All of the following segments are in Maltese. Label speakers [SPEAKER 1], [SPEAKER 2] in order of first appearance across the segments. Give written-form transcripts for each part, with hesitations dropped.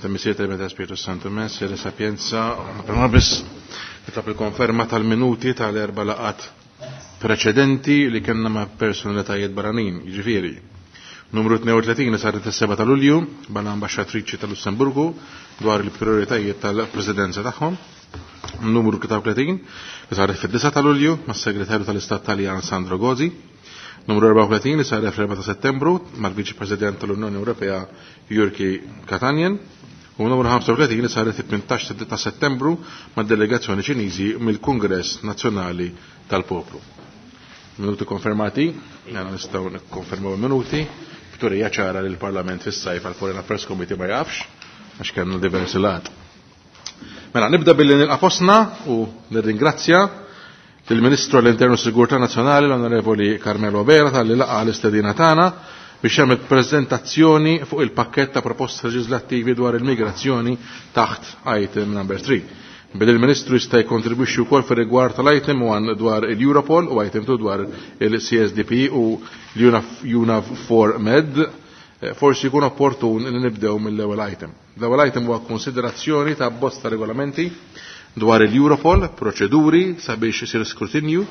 [SPEAKER 1] Missier tal Spiritu Santo Messere Sapienza, prima biss nitlob il-konferma tal-minuti tal-erba laqat preċedenti li kellna ma' personalitajiet barranin, jiġifieri. Numru 32 li saret is-7 ta' Lulju mal-ambaxxatriċi tal-Lussemburgu dwar il-prioritajiet tal-Presidenza tagħhom. Numru 33 li saret fid-9 ta' Lulju mas-Segretarju tal-Istat Taljan Sandro Gozi. Numru 34 li saret fl-4 ta' Settembru mal-Viċi President tal-Unjoni Ewropea Jurki Katanjen. U numru 35 li saret fit-18 ta' Settembru mad-delegazzjoni Ċiniżi mill-Kungress Nazzjonali tal-Poplu. Minuti konfermati, għana nistaw nikkonfermaw minuti, b'turija ċara li l-Parlament fis-sajf għal Foreign Affairs Committee ma jafx, għax kellna diversi lat. Mela, nibda billi nilqa' fostna u nirringrazzja lill-Ministru għall-Internu Sigurtà Nazzjonali l-Onorevoli Carmelo Bera tal-li laqa l-istedina tagħna biex jagħmel preżentazzjoni fuq il-pakkett ta' proposti leġislattivi dwar il-migrazzjoni taħt item number 3. Billi il-Ministru jista' jikkontribwixxi wkoll fir-rigward tal-item 1 dwar il-Europol u item 2 dwar il-CSDP u l-UNAV 4 Med, forsi jkun opportun li nibdew mill-ewwel item. L-ewwel item huwa konsiderazzjoni ta' bosta regolamenti dwar il-Europol, proċeduri sabiex isir skrutinju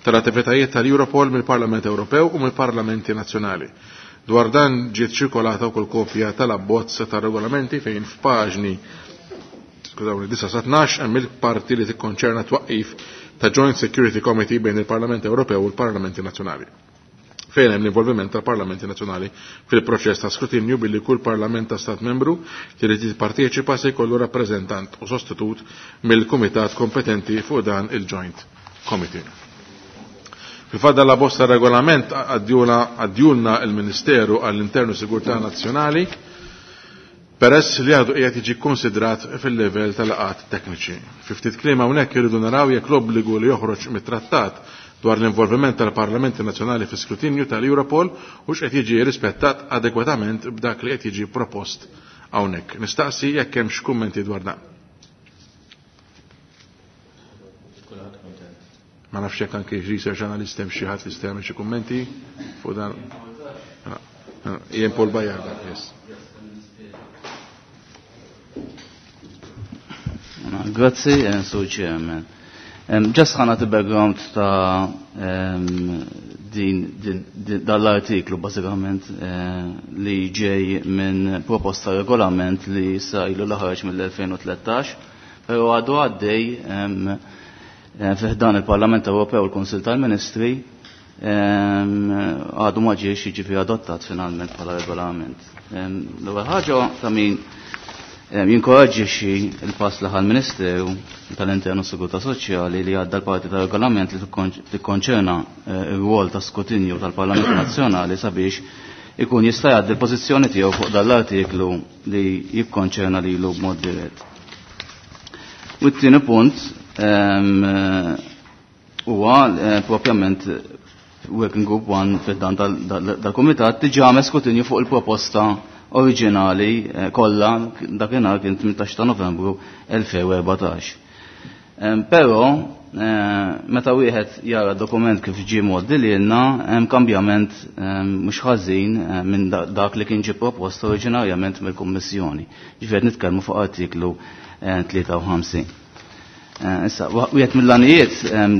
[SPEAKER 1] tal-attivitajiet tal-Europol mill-Parlament Ewropew u mill-Parlamenti Nazzjonali. Dwar dan ġiet ċirkolata wkoll kopja tal-abbozz tar-regolamenti fejn f'paġni skużawni 9 sa 12 hemm il-parti li tikkonċerna twaqqif ta' Joint Security Committee bejn il-Parlament Ewropew u l-Parlamenti Nazzjonali fejn hemm l-involviment tal-Parlamenti Nazzjonali fil-proċess ta' skrutinju billi kull parlament ta' stat membru li jrid jipparteċipa se jkollu rappreżentant u sostitut mill-kumitat kompetenti fuq dan il-Joint Committee. Fil-fatt la bosta regolament għaddjulna il-Ministeru għall-Internu Sigurtà Nazzjonali peress li għadu qiegħed jiġi konsidrat fil-livell tal-laqat tekniċi. Fi ftit kliem hawnhekk irridu naraw jekk l-obbligu li joħroġ mit-trattat dwar l-involviment tal-Parlamenti Nazzjonali fi skrutinju tal-Europol u x'qed jiġi rispettat adekwatament b'dak li qed jiġi propost hawnhekk. Nistaqsi jekk hemmx kummenti dwar dan. Ma nafx jekk anke research analyst hemm xi ħadd li jista' jagħmel xi kummenti fuq dan. Ian Paul Bayard, yes.
[SPEAKER 2] Grazzi, Sur Chairman. Just ħana background ta' din, din, din dal-artiklu bażikament li ġej minn proposta regolament li sa ilu laħarġ mill-2013, pero għadu għaddej fiħdan il-Parlament Ewropew u l-Konsil tal-Ministri għadu ma ġiex jiġifieri adottat finalment bħala regolament. L-ewwel ħaġa ta' min jinkoraġġixxi il-pass li ħal-Ministeru tal-Internu Sigurtà Soċjali li għadda l-parti tal-regolament li tikkonċerna r-rwol ta' skrutinju tal-Parlament Nazzjonali sabiex ikun jista' jgħaddi l-pożizzjoni tiegħu fuq dan l-artiklu li jikkonċerna lilu b'mod dirett. U t-tieni punt huwa propjament Working Group 1 fid-dan dal-Kumitat diġà għamel skrutinju fuq il-proposta oriġinali kollha dakinhar kien 18 ta' Novembru 2014. Però meta wieħed jara dokument kif ġie mgħoddi lilna hemm kambjament mhux ħażin minn dak li kien ġie propost oriġinarjament mill-Kummissjoni. Ġifier nitkellmu fuq artiklu 53. Issa, wieħed mill-għanijiet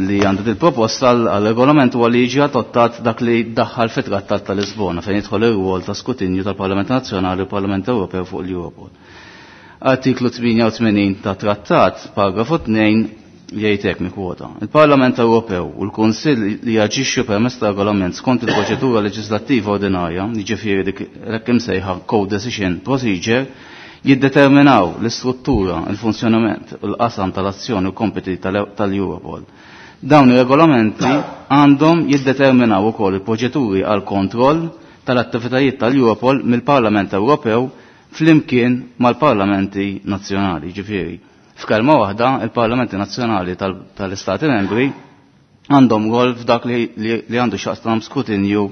[SPEAKER 2] li għandu il-proposta għal-regolament huwa li jiġi adottat dak li daħħal fit-Trattat ta' Lisbona fejn jidħol ir-rwol ta' skrutinju tal-Parlament Nazzjonali u Parlament Ewropew fuq l-Europol. Artiklu 88 ta' Trattat, paragrafu 2, jgħid hekk mikwota. Il-Parlament Ewropew u l-Kunsill li jaġixxu permezz ta' regolament skont il-proċedura leġislattiva ordinarja, jiġifieri dik hekk imsejħa co-decision procedure, jiddeterminaw l-istruttura, il-funzjonament u l-qasam tal-azzjoni u kompiti tal-Europol. Dawn ir-regolamenti għandhom jiddeterminaw ukoll il-proċeduri għal kontroll tal-attivitajiet tal-Europol mill-Parlament Ewropew flimkien mal-parlamenti nazzjonali, ġifieri. F'kelma waħda, il-parlamenti nazzjonali tal-Istati membri għandhom rol f'dak li għandu x'jaqsam skrutinju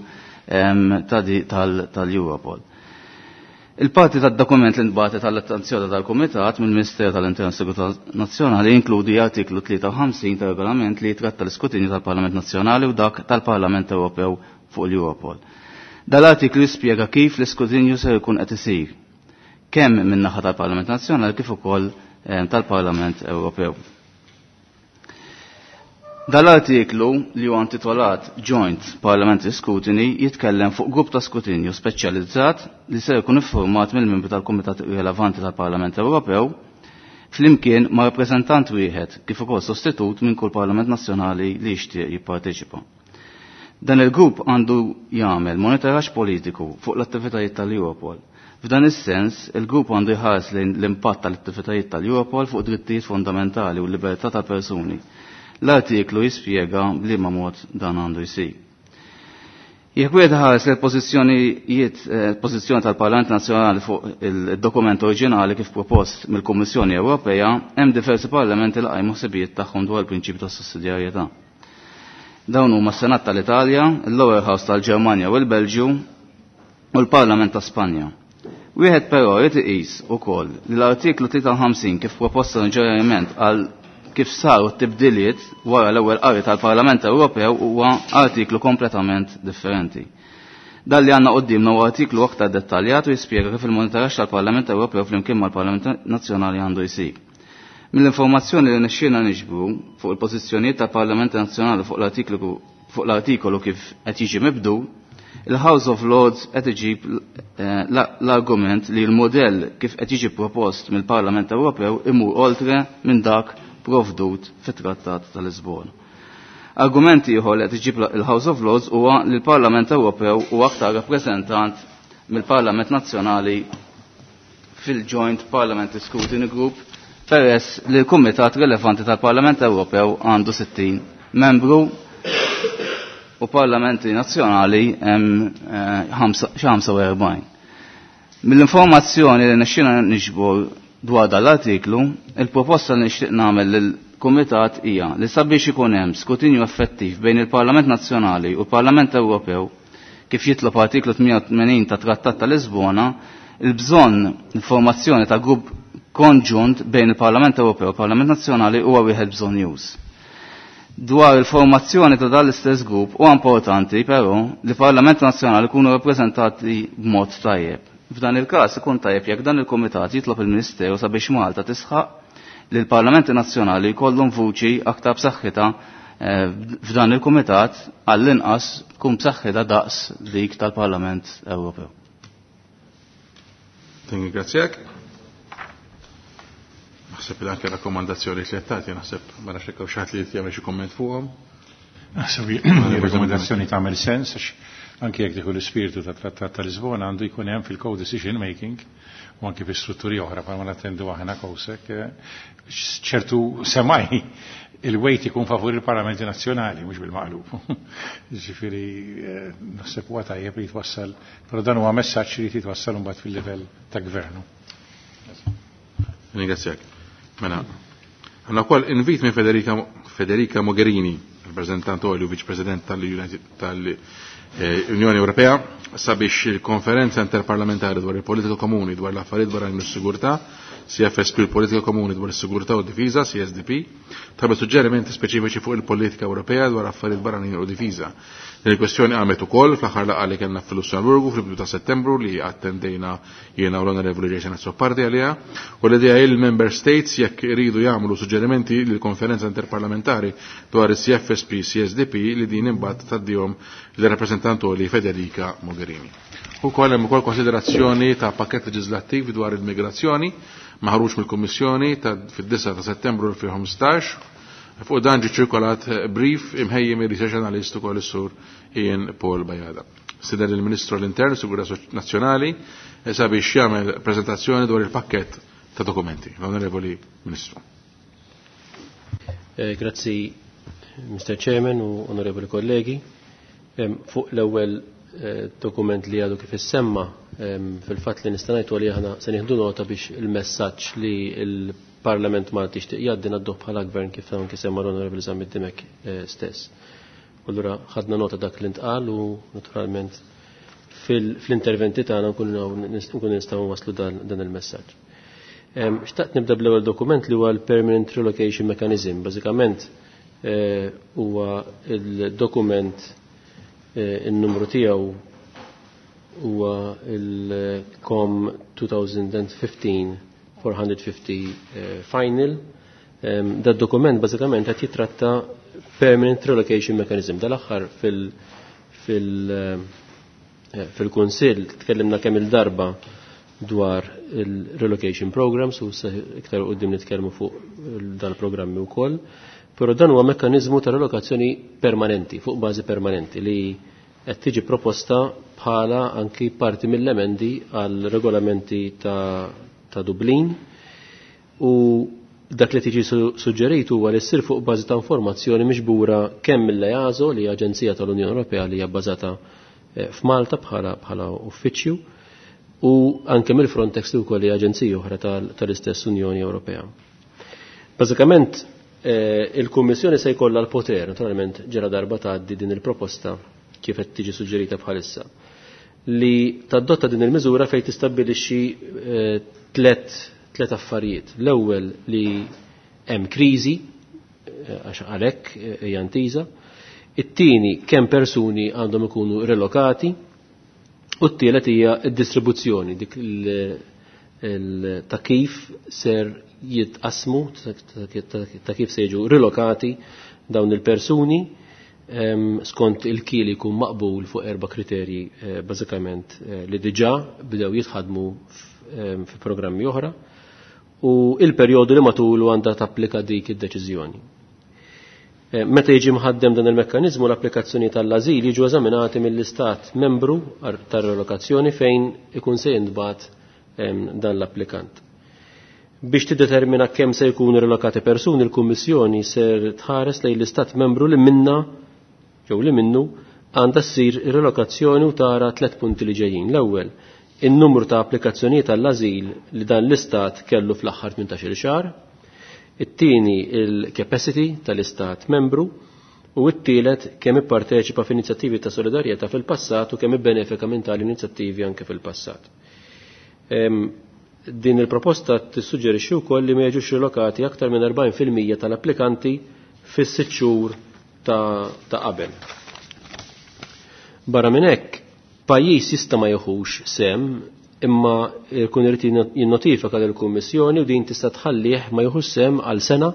[SPEAKER 2] tal-Europol. Il-parti tad-dokument li nbagħtet tal-attenzjoni tal-Kumitat mill-Ministeru tal-Intern Sigurtà Nazzjonali jinkludi artiklu 53 tal-regolament li jitratta l-iskrutinju tal-Parlament Nazzjonali u dak tal-Parlament Ewropew fuq l-Europol. Dal-artiklu jispjega kif l-iskrutinju se jkun qed isir, kemm min-naħa tal-Parlament Nazzjonali kif ukoll tal-Parlament Ewropew. Dal-artiklu li huwa intitolat Joint Parliamentary Scrutiny jitkellem fuq grupp ta' skrutinju speċjalizzat li se jkun iffurmat mill-membri tal-Kumitat rilevanti tal-Parlament Ewropew flimkien ma' rappreżentant wieħed kif ukoll sostitut minn kull Parlament Nazzjonali li jixtieq jipparteċipa. Dan il-grupp għandu jagħmel monitoraġġ politiku fuq l-attivitajiet tal-Europol. F'dan is-sens, il-grupp għandu jħares lejn l-impatt tal-attivitajiet tal-Europol fuq drittijiet fundamentali u l-libertà tal-persuni. L-artiklu jispjega b'liema mod dan għandu jsir. Jekk wieħed ħares l-pożizzjonijiet pożizzjoni tal-Parlament Nazzjonali fuq il-dokument oriġinali kif propost mill-Kummissjoni Ewropea, hemm diversi parlamenti li qajmu ħsibijiet tagħhom dwar il-prinċipju tas-sussidjarjetà. Dawn huma s-Senat tal-Italja, il-Lower House tal-Ġermanja u l-Belġju u l-Parlament ta' Spanja. Wieħed però jrid iqis ukoll li l-artiklu 53 kif proposta ġerament għal kif saru t-tibdiliet wara l-ewwel qari tal-Parlament Ewropew huwa artiklu kompletament differenti. Dan li għandna qudiemna huwa artiklu aktar dettaljat u jispjega kif il-monitoraġġ tal-Parlament Ewropew flimkien mal-Parlament Nazzjonali għandu jsir. Mill-informazzjoni li nixxielna niġbru fuq il-pożizzjonijiet tal-Parlament Nazzjonali fuq l-artikolu kif qed jiġi mibdu, il-House of Lords qed iġib l-argument li l-modell kif qed jiġi propost mill-Parlament Ewropew imur oltre minn dak provdut fit-Trattat tal-Lisbona. Argument ieħor li qed iġib il-House of Lords huwa li l-Parlament Ewropew huwa aktar rappreżentant mill-Parlament Nazzjonali fil-Joint Parliamentary Scrutiny Group peress li l-Kumitat rilevanti tal-Parlament Ewropew għandu 60 membru u parlamenti nazzjonali hemm 45. Mill-informazzjoni li nixxina niġbor dwar dan l-artiklu, il-proposta li nixtieq nagħmel lill-Kumitat hija li sabiex ikun hemm skrutinju effettiv bejn il-Parlament Nazzjonali u l-Parlament Ewropew kif jitlob artiklu 88 ta' Trattat ta' Lisbona, il-bżonn informazzjoni ta' grupp konġunt bejn il-Parlament Ewropew u l-Parlament Nazzjonali huwa wieħed bżonn Dwar il-formazzjoni ta' dan l-istess grupp huwa importanti però li Parlament Nazzjonali jkunu rappreżentati b'mod tajjeb. F'dan il-każ ikun tajjeb jekk dan il-Kumitat jitlob il-Ministeru sabiex Malta tisħaq li l-Parlamenti Nazzjonali jkollhom vuċi aktar b'saħħitha f'dan il-Kumitat għall-inqas tkun b'saħħitha daqs dik tal-Parlament Ewropew.
[SPEAKER 1] Tingrazzjak. Naħseb li anke rakkomandazzjoni li qed tagħti, naħseb ma nafx hekk hawn xi ħadd li jagħmel xi kumment fuqhom.
[SPEAKER 3] Naħseb li tagħmel sens għax anke jekk tieħu l-ispirtu ta' Trattat ta' Lisbona għandu jkun hemm fil-co-decision making u anke fi strutturi oħra bħalma nattendu aħna kowsek ċertu semaj il-weight ikun favur il-Parlamenti Nazzjonali mhux bil-maqlub. Ġifieri naħseb huwa tajjeb li jitwassal, però dan huwa messaġġ li jitwassal imbagħad fil-livell ta' gvernu.
[SPEAKER 1] Ringrazzjak. Mela, għandna wkoll invit minn Federica Mogherini, rappresentant u Viċ President tal-Unjoni Ewropea, sabiex il-konferenza interparlamentari dwar il-politika komuni dwar l-affarijiet barranin u s-sigurtà, CFSP il-politika komuni dwar is-sigurtà u d-difiża, CSDP, tagħmel suġġerimenti speċifiċi fuq il-politika Ewropea dwar affarijiet barranin u difiża. Din il-kwestjoni qamet ukoll fl-aħħar laqgħa li kellna fil-Lussemburgu fil-bidu ta' Settembru li attendejna jiena u l-Onorevoli Jason Azzopardi għaliha, u l-idea hi l-Member States jekk iridu jagħmlu suġġerimenti lill-konferenza interparlamentari dwar is-CFSP CSDP li din imbagħad tgħaddihom lir-rappreżentant li Federica Mogherini. Ukoll hemm ukoll konsiderazzjoni ta' pakkett leġislattiv dwar il-migrazzjoni maħruġ mill-Kummissjoni fid-9 ta' Settembru 2015. Fuq dan ġie ċirkolat brief imħejjem ir-research analyst ukoll is-sur Ian Paul Bajada. Sider il-Ministru l-Intern Sigurtà Nazzjonali sabiex jagħmel preżentazzjoni dwar il-pakkett ta' dokumenti. L-Onorevoli Ministru.
[SPEAKER 4] Grazzi Mr. Chairman u onorevoli kollegi. Fuq l-ewwel dokument li għadu kif issemma, fil-fatt li nista' ngħid li aħna se nieħdu nota biex il-messaġġ li l-Parlament Malti jixtieq jgħaddi ngħadduh bħala gvern kif anke semma l-Onorevoli Zammit Dimech stess. Allura ħadna nota dak li ntqal u naturalment fl-interventi tagħna nkunu nistgħu waslu dan il-messaġġ. Xtaqt nibda bl-ewwel dokument li huwa l-Permanent Relocation Mechanism. Bażikament huwa il-dokument in-numru tiegħu huwa il-COM 2015-450 final. Da dokument bażikament qed jitratta Permanent Relocation Mechanism. Dal-aħħar fil-Kunsill tkellimna kemm il-darba dwar il-relocation programs u iktar qudiem nitkellmu fuq dal-programmi wkoll. Però dan huwa mekkaniżmu ta' relokazzjoni permanenti, fuq bażi permanenti li qed tiġi proposta bħala anki parti mill-emendi għal regolamenti ta Dublin u dak li tiġi suġġerit huwa li ssir fuq bażi ta' informazzjoni miġbura kemm mill-EASO li hija Aġenzija tal-Unjoni Ewropea li hija bbażata f'Malta bħala uffiċċju u anke mill-Frontex li wkoll hija aġenzija oħra tal-istess Unjoni Ewropea. Bażikament il-Kummissjoni se jkollha l-poter, naturalment ġara darba tgħaddi din il-proposta kif qed tiġi suġġerita bħalissa, li tadotta din il-miżura fejn tistabbilixxi tlet affarijiet. L-ewwel li hemm kriżi għax għalhekk hija ntiża. It-tieni kemm persuni għandhom ikunu relokati u t-tielet hija d-distribuzzjoni dik ta' kif ser jitqasmu, ta' kif se jiġu rilokati dawn il-persuni skont il-kili jkun maqbul fuq 4 kriterji bażikament li diġà bdew jitħadmu fi programmi oħra u il-perjodu li matulu għandha tapplika dik id-deċiżjoni. Meta jiġi mħaddem dan il-mekkaniżmu l-applikazzjoni tal-ażil jiġu eżaminati mill-istat membru tar-relokazzjoni fejn ikun se jintbagħat dan l-applikant. Biex tiddetermina kemm se jkunu relokati persuni, il-Kummissjoni ser tħares lejn l-istat membru li minna jew li minnu għandha ssir relokazzjoni u tara 3 punti li ġejjin. L-ewwel, in-numru ta' applikazzjonijiet tal-ażil li dan l-istat kellu fl-aħħar 18-il xahar, it-tieni il-capacity tal-istat membru u t-tielet kemm ipparteċipa f'inizjattivi ta' solidarjetà fil-passat u kemm ibbenefika minn tali inizjattivi anke fil-passat. Din il-proposta tissuġġerixxi wkoll li ma jiġux rilokati aktar minn 40% tal-applikanti fis-6 xhur ta' qabel. Barra minn hekk, pajjiż jista' ma jieħux sem imma jkun irid jinnotifika lill-Kummissjoni u din tista' tħallih ma jieħux sem għal sena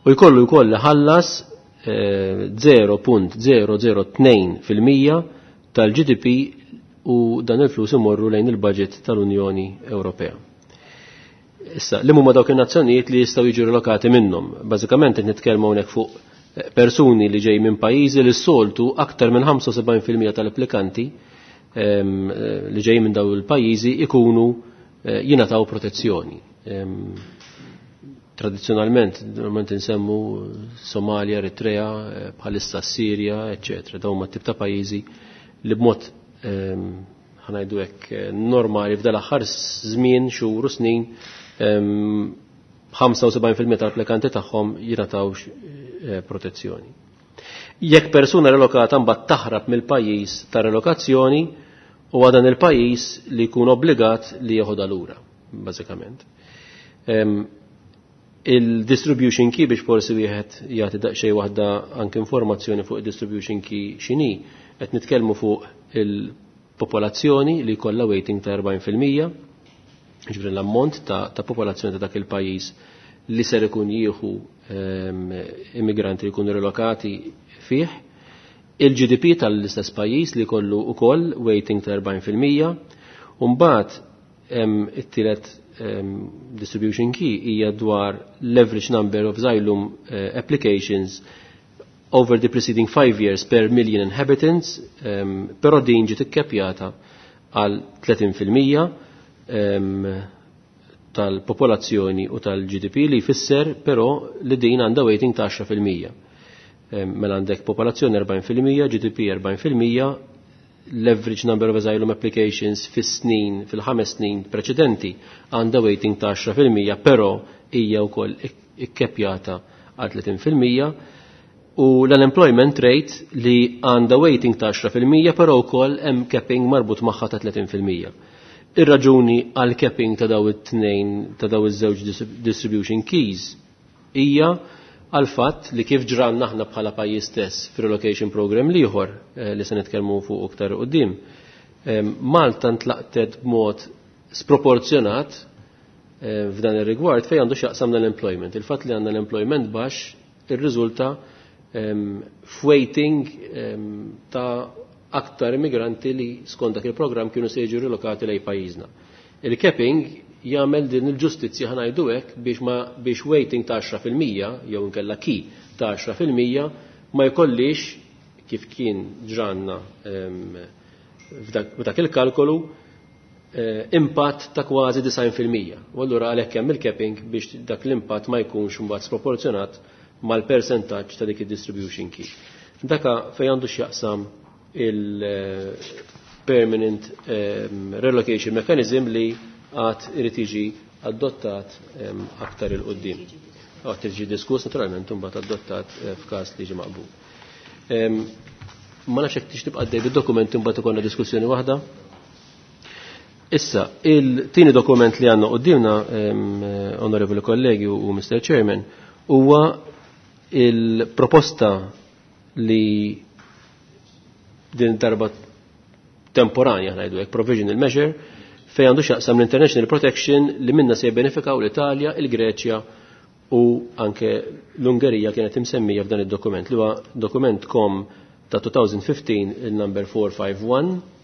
[SPEAKER 4] u jkollu jkoll ħallas 0.002% tal-GDP u dan il-flus imorru lejn il-budget tal-Unjoni Ewropea. Issa, li huma dawk in-nazzjonijiet li jistgħu jiġu rilokati minnhom. Bażikament qed nitkellmu hawnhekk fuq persuni li ġej minn pajjiżi li s-soltu aktar minn 75% tal-applikanti li ġej minn dawn il-pajjiżi ikunu jingħataw protezzjoni. Tradizzjonalment, normalment insemmu Somalia, Eritrea, bħalissa Sirja, eċċetera. Dawn huma tip ta' pajjiżi li b'mod ħanajdu hekk normali f'dal aħħar żmien, xhur u snin 75% tal-applikanti tagħhom jingħataw protezzjoni. Jekk persuna relokata mbagħad taħrab mill-pajjiż ta' relokazzjoni, huwa dan il-pajjiż li jkun obbligat li jeħodha lura, bażikament. Il-distribution key biex forsi wieħed jagħti daqsxejn waħda anke informazzjoni fuq il-distribution key x'inhi, qed nitkellmu fuq il-popolazzjoni li jkollha weighting ta' 40%, ġifieri l-ammont ta' popolazzjoni ta' dak il-pajjiż li ser ikun jieħu immigranti li jkunu relokati fih, il-GDP tal-istess pajjiż li kollu ukoll weighting ta' 40%, u mbagħad hemm it-tielet distribution key hija dwar l-average number of asylum applications over the preceding 5 years per million inhabitants, però din ġiet ikkepjata għal 30% tal-popolazzjoni u tal-GDP li jfisser però li din għandha weighting ta' 10%. Mela għandek popolazzjoni 40%, GDP 40%, l-average number of asylum applications fis-snin, fil-5 snin preċedenti għandha weighting ta' 10%, però hija wkoll ikkepjata għal 30%, u l-unemployment rate li għandha weighting ta' 10%, però wkoll hemm capping marbut magħha ta' 30%. Ir-raġuni għal capping ta' daw it-tnejn, ta' daw iż-żewġ distribution keys hija għal fatt li kif ġranna aħna bħala pajjiż stess fir-relocation program l-ieħor li se nitkellmu fuq iktar quddiem. Malta ntlaqtet b'mod sproporzjonat f'dan ir-rigward fejn għandu x'jaqsam l-employment. Il-fatt li għandna l-employment baxx irriżulta f'waiting ta' aktar immigranti li skont dak il-programm kienu se jiġu rilokati lejn pajjiżna. Il-capping jagħmel din il-ġustizzja, ħa ngħidu hekk, biex weighting ta' 10% jew inkella key ta' 10% ma jkollix, kif kien ġranna f'dak il-kalkolu, impatt ta' kważi 90%. U allura għalhekk hemm il-capping biex dak l-impatt ma jkunx imbagħad sproporzjonat mal-percentaġġ ta' dik id-distribution key. Daka fejn għandu x'jaqsam il-permanent relocation mechanism li għad irid jiġi adottat aktar 'il quddiem. Għad jiġi diskuss naturalment, imbagħad adottat f'każ li jiġi maqbul. Ma nafx jekk tix tibqa' għaddej bid-dokument, imbagħad ikollna diskussjoni waħda. Issa, il-tieni dokument li għandna quddiemna, onorevoli kollegi u Mr. Chairman, huwa il-proposta li din darba temporanja, ngħidu hekk, provisional measure, fejn għandu x'jaqsam l-International Protection li minna se jibbenefikaw l-Italja, il-Greċja u anke l-Ungerija kienet imsemmija f'dan id-dokument li huwa dokument COM ta' 2015 il-number 451.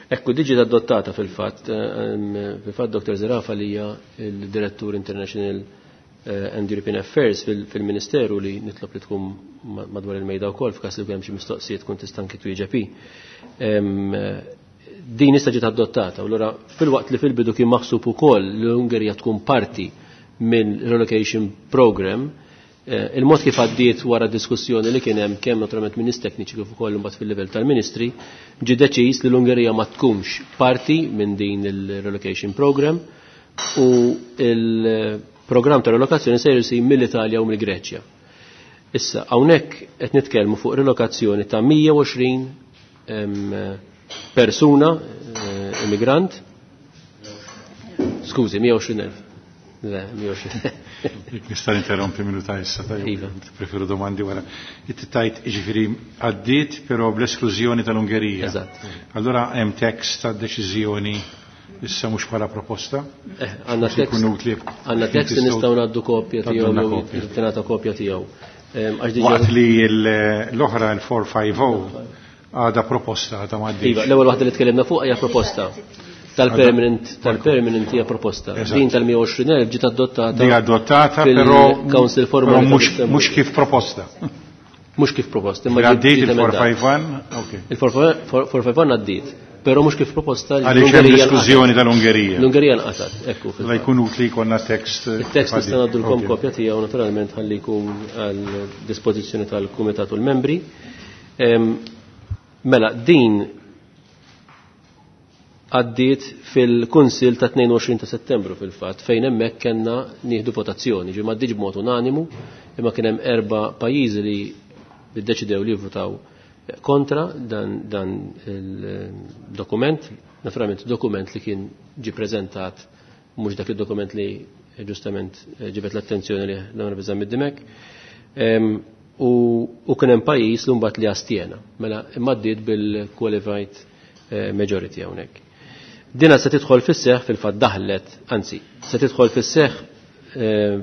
[SPEAKER 4] Ekku, diġi adottata fil-fatt, Dr. Zerafa li hija il-Direttur International and European Affairs fil-Ministeru, li nitlob li tkun madwar il-mejda wkoll f'każ li hemm xi mistoqsijiet tkun tista' anki twieġeb. Din issa ġiet adottata u allura filwaqt li fil-bidu kien maħsub ukoll li l-Ungerija tkun parti minn relocation program, il-mod kif għaddiet wara diskussjoni li kien hemm kemm naturalment minn tekniċi kif ukoll imbagħad fil-livell tal-Ministri, ġie deċiż li l-Ungerija ma tkunx parti minn din il-relocation program u il-programm ta' relokazzjoni se jsir mill-Italja u mill-Greċja. Issa, hawnhekk qed nitkellmu fuq relokazzjoni ta' 120 persuna immigrant, skużi, 120.000. Le, 120.
[SPEAKER 3] Nista' interrompi minuta issa, tajjeb.
[SPEAKER 4] Iva.
[SPEAKER 3] Preferu domandi wara. Inti tajt ġifieri għaddiet però bl-esklużjoni tal-Ungerija.
[SPEAKER 4] Eżatt.
[SPEAKER 3] Allora hemm tekst ta' deċiżjoni issa, mhux bħala proposta?
[SPEAKER 4] Għandna
[SPEAKER 3] Biex ikun
[SPEAKER 4] tekst.
[SPEAKER 3] utli.
[SPEAKER 4] Għandna tekst li nistgħu ngħaddu kopja tiegħu
[SPEAKER 3] Tgħaddulna
[SPEAKER 4] jew
[SPEAKER 3] kopja.
[SPEAKER 4] tingħata kopja tiegħu. Għax diġà
[SPEAKER 3] Waqt li l-oħra, il-450, għada proposta, għada ma
[SPEAKER 4] Iva, l-ewwel waħda li tkellimna fuq hija proposta. Tal-permanent hija proposta. Din tal-120,000 ġiet adottata.
[SPEAKER 3] Di adottata però
[SPEAKER 4] fil-Council
[SPEAKER 3] però
[SPEAKER 4] formali ta' Lussemburgu.
[SPEAKER 3] mhux kif proposta.
[SPEAKER 4] Mhux kif proposta, imma
[SPEAKER 3] Għaddiet
[SPEAKER 4] ġiet emendata.
[SPEAKER 3] il-451, ok.
[SPEAKER 4] Il-451 għaddiet, però mhux kif proposta.
[SPEAKER 3] Għaliex hemm l-esklużjoni tal-Ungerija.
[SPEAKER 4] L-Ungerija nqatgħet, ekku.
[SPEAKER 3] La jkun utli jkollna tekst.
[SPEAKER 4] Il-tekst nista' ngħaddulkom
[SPEAKER 3] Ok.
[SPEAKER 4] kopja tiegħu naturalment ħalli jkun għal dispożizzjoni tal-Kumitat u l-membri. Mela, din għaddiet fil-Kunsil ta' 22 ta' Settembru fil-fatt, fejn hemmhekk kellna nieħdu votazzjoni, ġie m'għaddiġ b'mod unanimu, imma kien hemm erba' pajjiżi li ddeċidew li jivvutaw kontra dan il-dokument, naturalment dokument li kien ġi preżentat, mhux dak il-dokument li ġustament ġibet l-attenzjoni li l-Onorevoli Zammit Dimech. U kien hemm pajjiż li mbagħad li astjena, mela imma għaddiet bil-qualified majority hawnhekk. Dina se tidħol fis-seħħ, fil-fatt daħlet, anzi, se tidħol fis-seħħ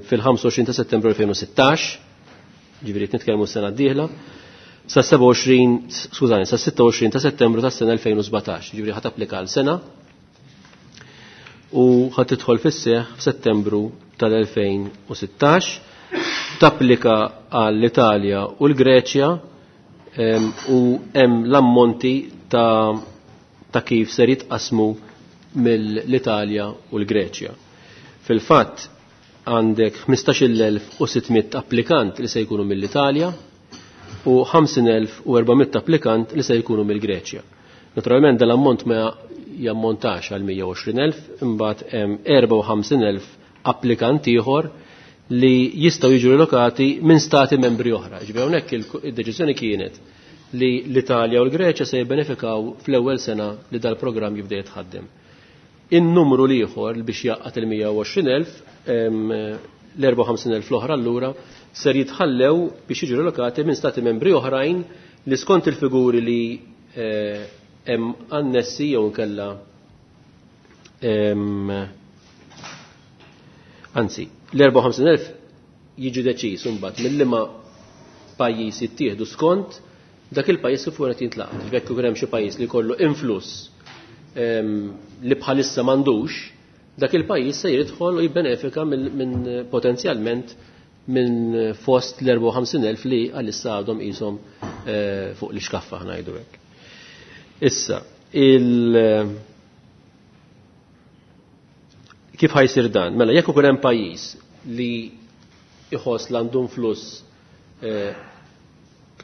[SPEAKER 4] fil-25 ta' Settembru 2016, ġifieri nitkellmu s-sena d-dieħla, sa 27, skużani, sa 26 ta' Settembru tas-sena 2017, ġifieri ħa tapplika għal sena u ħa tidħol fis-seħħ f'Settembru tal-2016, tapplika għall-Italja u l-Greċja u hemm l-ammonti ta' kif ser jitqasmu mill-Italja u l-Greċja. Fil-fatt għandek 15.600 applikant li se jkunu mill-Italja u 50.400 applikant li se jkunu mill-Greċja. Naturalment dal-ammont ma jammontax għal 120.000, imbagħad hemm 54.000 applikant ieħor li jistgħu jiġu relokati minn stati membri oħra. Ġifieri hawnhekk id-deċiżjoni kienet li l-Italja u l-Greċja se jibbenefikaw fl-ewwel sena li dal-programm jibda jitħaddem. In-numru l-ieħor biex jgħaqqad il-120,000. L-54,000 l-oħra allura ser jitħallew biex jiġu relokati minn stati membri oħrajn li skont il-figuri li hemm annessi jew inkella anzi, l-54,000 jiġi deċiż imbagħad mill-liema pajjiż jittieħdu skont dak il-pajjiż kif qed jintlaqat. Jekk ikun hemm xi pajjiż li jkollu influss li bħalissa m'għandux, dak il-pajjiż se jidħol u jibbenefika minn potenzjalment minn fost l-54,000 li għalissa għadhom qishom fuq l-ixkaffa ngħidu hekk. Issa, kif ħajsir dan? Mela, jekk ikun hemm pajjiż li iħoss li għandu influss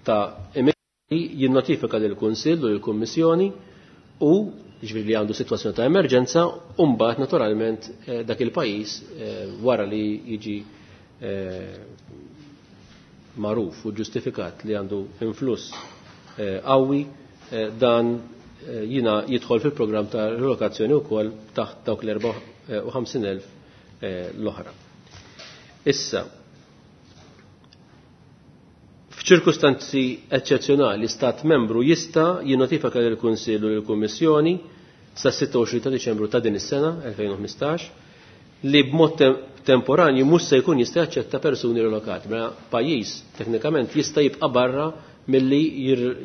[SPEAKER 4] ta' immigranti, jinnotifika lill-Kunsill u lill-Kummissjoni u ġifieri li għandu sitwazzjoni ta' emerġenza, u mbagħad naturalment dak il-pajjiż wara li jiġi magħruf u ġustifikat li għandu influss qawwi, dan jina jidħol fil-programm ta' relokazzjoni wkoll taħt dawk l-54,000 l-oħra. Issa, f'ċirkustanzi eċċezzjonali, stat membru jista' jinnotifika lill-Kunsill u lill-Kummissjoni sa 26 ta' Diċembru ta' din is-sena 2015 li b'mod temporanju mhux se jkun jista' jaċċetta persuni relokati. Mela pajjiż teknikament jista' jibqa' barra milli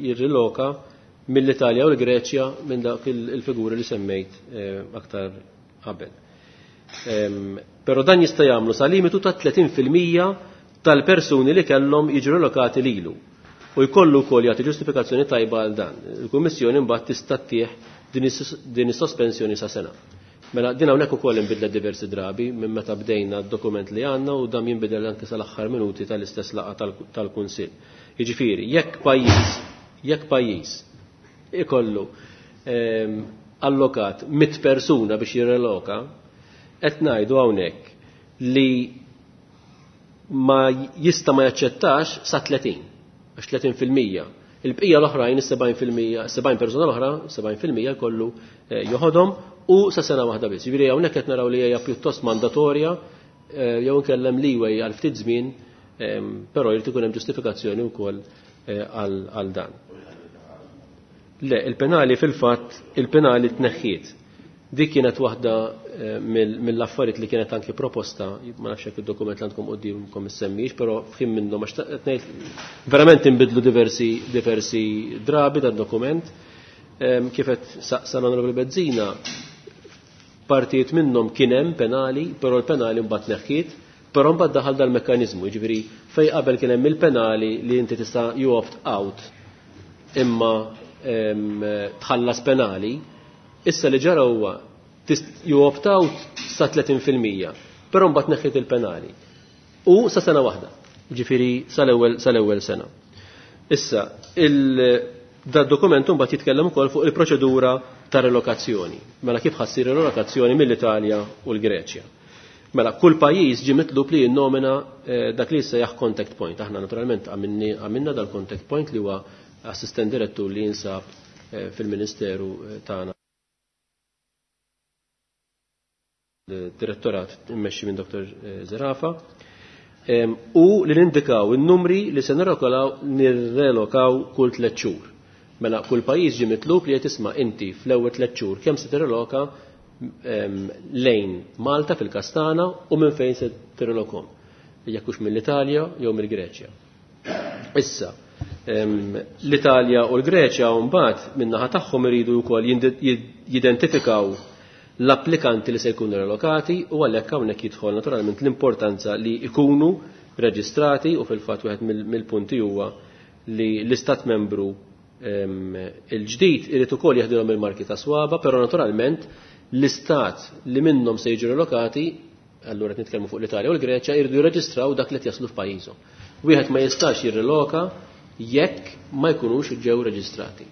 [SPEAKER 4] jirriloka mill-Italja u l-Greċja minn dak il-figuri li semmejt aktar qabel. Però dan jista' jagħmlu sa limitu ta' 30% tal-persuni li kellhom jiġu relokati lilu. U jkollu wkoll jagħti ġustifikazzjoni tajba għal dan. Il-Kummissjoni mbagħad tista' ttieħ din is-sospensjoni sa sena. Mela din hawnhekk ukoll inbidlet diversi drabi minn meta bdejna d-dokument li għandna u dam jinbidel anke sal-aħħar minuti tal-istess laqgħa tal-Kunsill. Jiġifieri, jekk pajjiż ikollu allokat 100 persuna biex jirreloka, qed ngħidu hawnhekk li ma jista' ma jaċċettax sa 30, għax 30%. Il-bqija l-oħrajn, is-70%, 70 persuna l-oħra, 70% jkollu joħodhom u sa sena waħda biss. Jiġifieri hawnhekk qed naraw li hija pjuttost mandatorja jew inkellem leeway għal ftit żmien, però jrid ikun hemm ġustifikazzjoni wkoll għal dan. Le, il-penali fil-fatt, il-penali tneħħiet. Dik kienet waħda mill-affarijiet li kienet anki proposta, ma nafx jekk id-dokument li għandkom quddiemkom issemmix, però f'ħin minnhom għax qed ngħid verament inbidlu diversi drabi dan dokument. Kif qed saqsa l-Onorevoli Bezzina, partijiet minnhom kien hemm penali, però l-penali mbagħad neħħiet, però mbagħad daħal dal-mekkaniżmu, jiġifieri fejn qabel kien hemm il-penali li inti tista' you opt out imma tħallas penali, issa li ġara huwa you opt out sa 30%, però mbagħad neħħiet il-penali. U sa sena waħda, jiġifieri sal-ewwel sena. Issa, da dokument mbagħad jitkellem ukoll fuq il-proċedura ta' relokazzjoni. Mela kif ħassir relokazzjoni mill-Italja u l-Greċja. Mela kull pajjiż ġie mitlub li jinnomina dak li jissejjaħ contact point. Aħna naturalment għamilna dal-contact point li huwa assistent direttur li jinsab fil-Ministeru tagħna. Direttorat immexxi minn Dr. Zerafa. U li nindikaw in-numri li se nirrelokaw kull 3 xhur. Mela kull pajjiż ġie mitlub li qed tisma' inti fl-ewwel 3 xhur kemm se tirreloka lejn Malta fil-Kastana u minn fejn se tirrelokhom. Jekk hux mill-Italja jew mill-Greċja. Issa, l-Italja u l-Greċja mbagħad min-naħa tagħhom iridu wkoll jidentifikaw l-applikanti li se jkunu relokati u għalhekk hawnhekk jidħol naturalment l-importanza li jkunu reġistrati u fil-fatt wieħed mill-punti huwa li l-istat membru il-ġdid irid ukoll jeħdilhom il-marki ta' swaba, però naturalment l-istat li minnhom se jiġu relokati, allura qed nitkellmu fuq l-Italja u l-Greċja, jridu jirreġistraw dak li qed jaslu f'pajjiżhom. Wieħed ma jistax jirreloka jekk ma jkunux ġew reġistrati.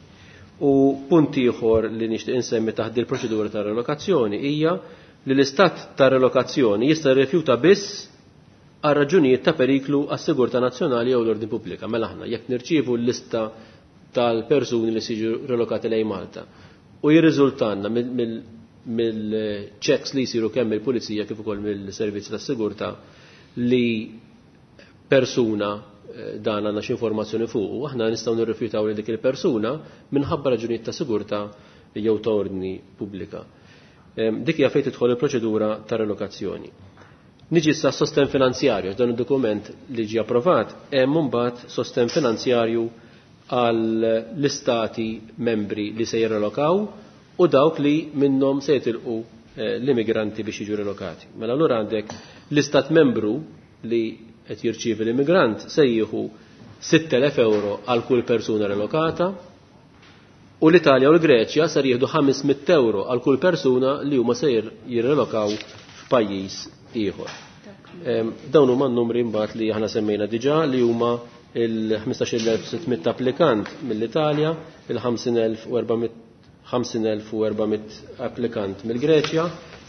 [SPEAKER 4] U punt ieħor li nixtieq insemmi taħt il-proċedura ta' relokazzjoni hija li l-istat ta' relokazzjoni jista' jirrifjuta biss għal raġunijiet ta' periklu għas-sigurtà nazzjonali jew l-ordni pubblika. Mela aħna jekk nirċievu l-lista tal-persuni li siġu relokati lejn Malta u jirriżultanna mill-checks li jsiru kemm mill-pulizija kif ukoll mill-servizzi tas-sigurtà li persuna dan għandna xi informazzjoni fuq, aħna nistgħu nirrifjutaw li dik il-persuna minħabba raġunijiet ta' sigurtà jew ta' ordni pubblika. Dik hija fejn tidħol il-proċedura ta' relokazzjoni. Niġi issa sosten finanzjarju, dan id-dokument li ġie approvat hemm imbagħad sosten finanzjarju għal l-istati membri li se jirrelokaw u dawk li minnhom se jitilqu l-immigranti biex jiġu relokati. Mela allura għandek l-istat membru li qed jirċievi l-immigrant se jieħu 6,000 euro għal kull persuna relokata u l-Italja u l-Greċja ser jieħdu 500 euro għal kull persuna li huma se jirrelokaw f'pajjiż ieħor. Dawn huma n-numri mbagħad li aħna semmejna diġà li huma il-15,600 applikant mill-Italja, il-50,400 applikant mill-Greċja,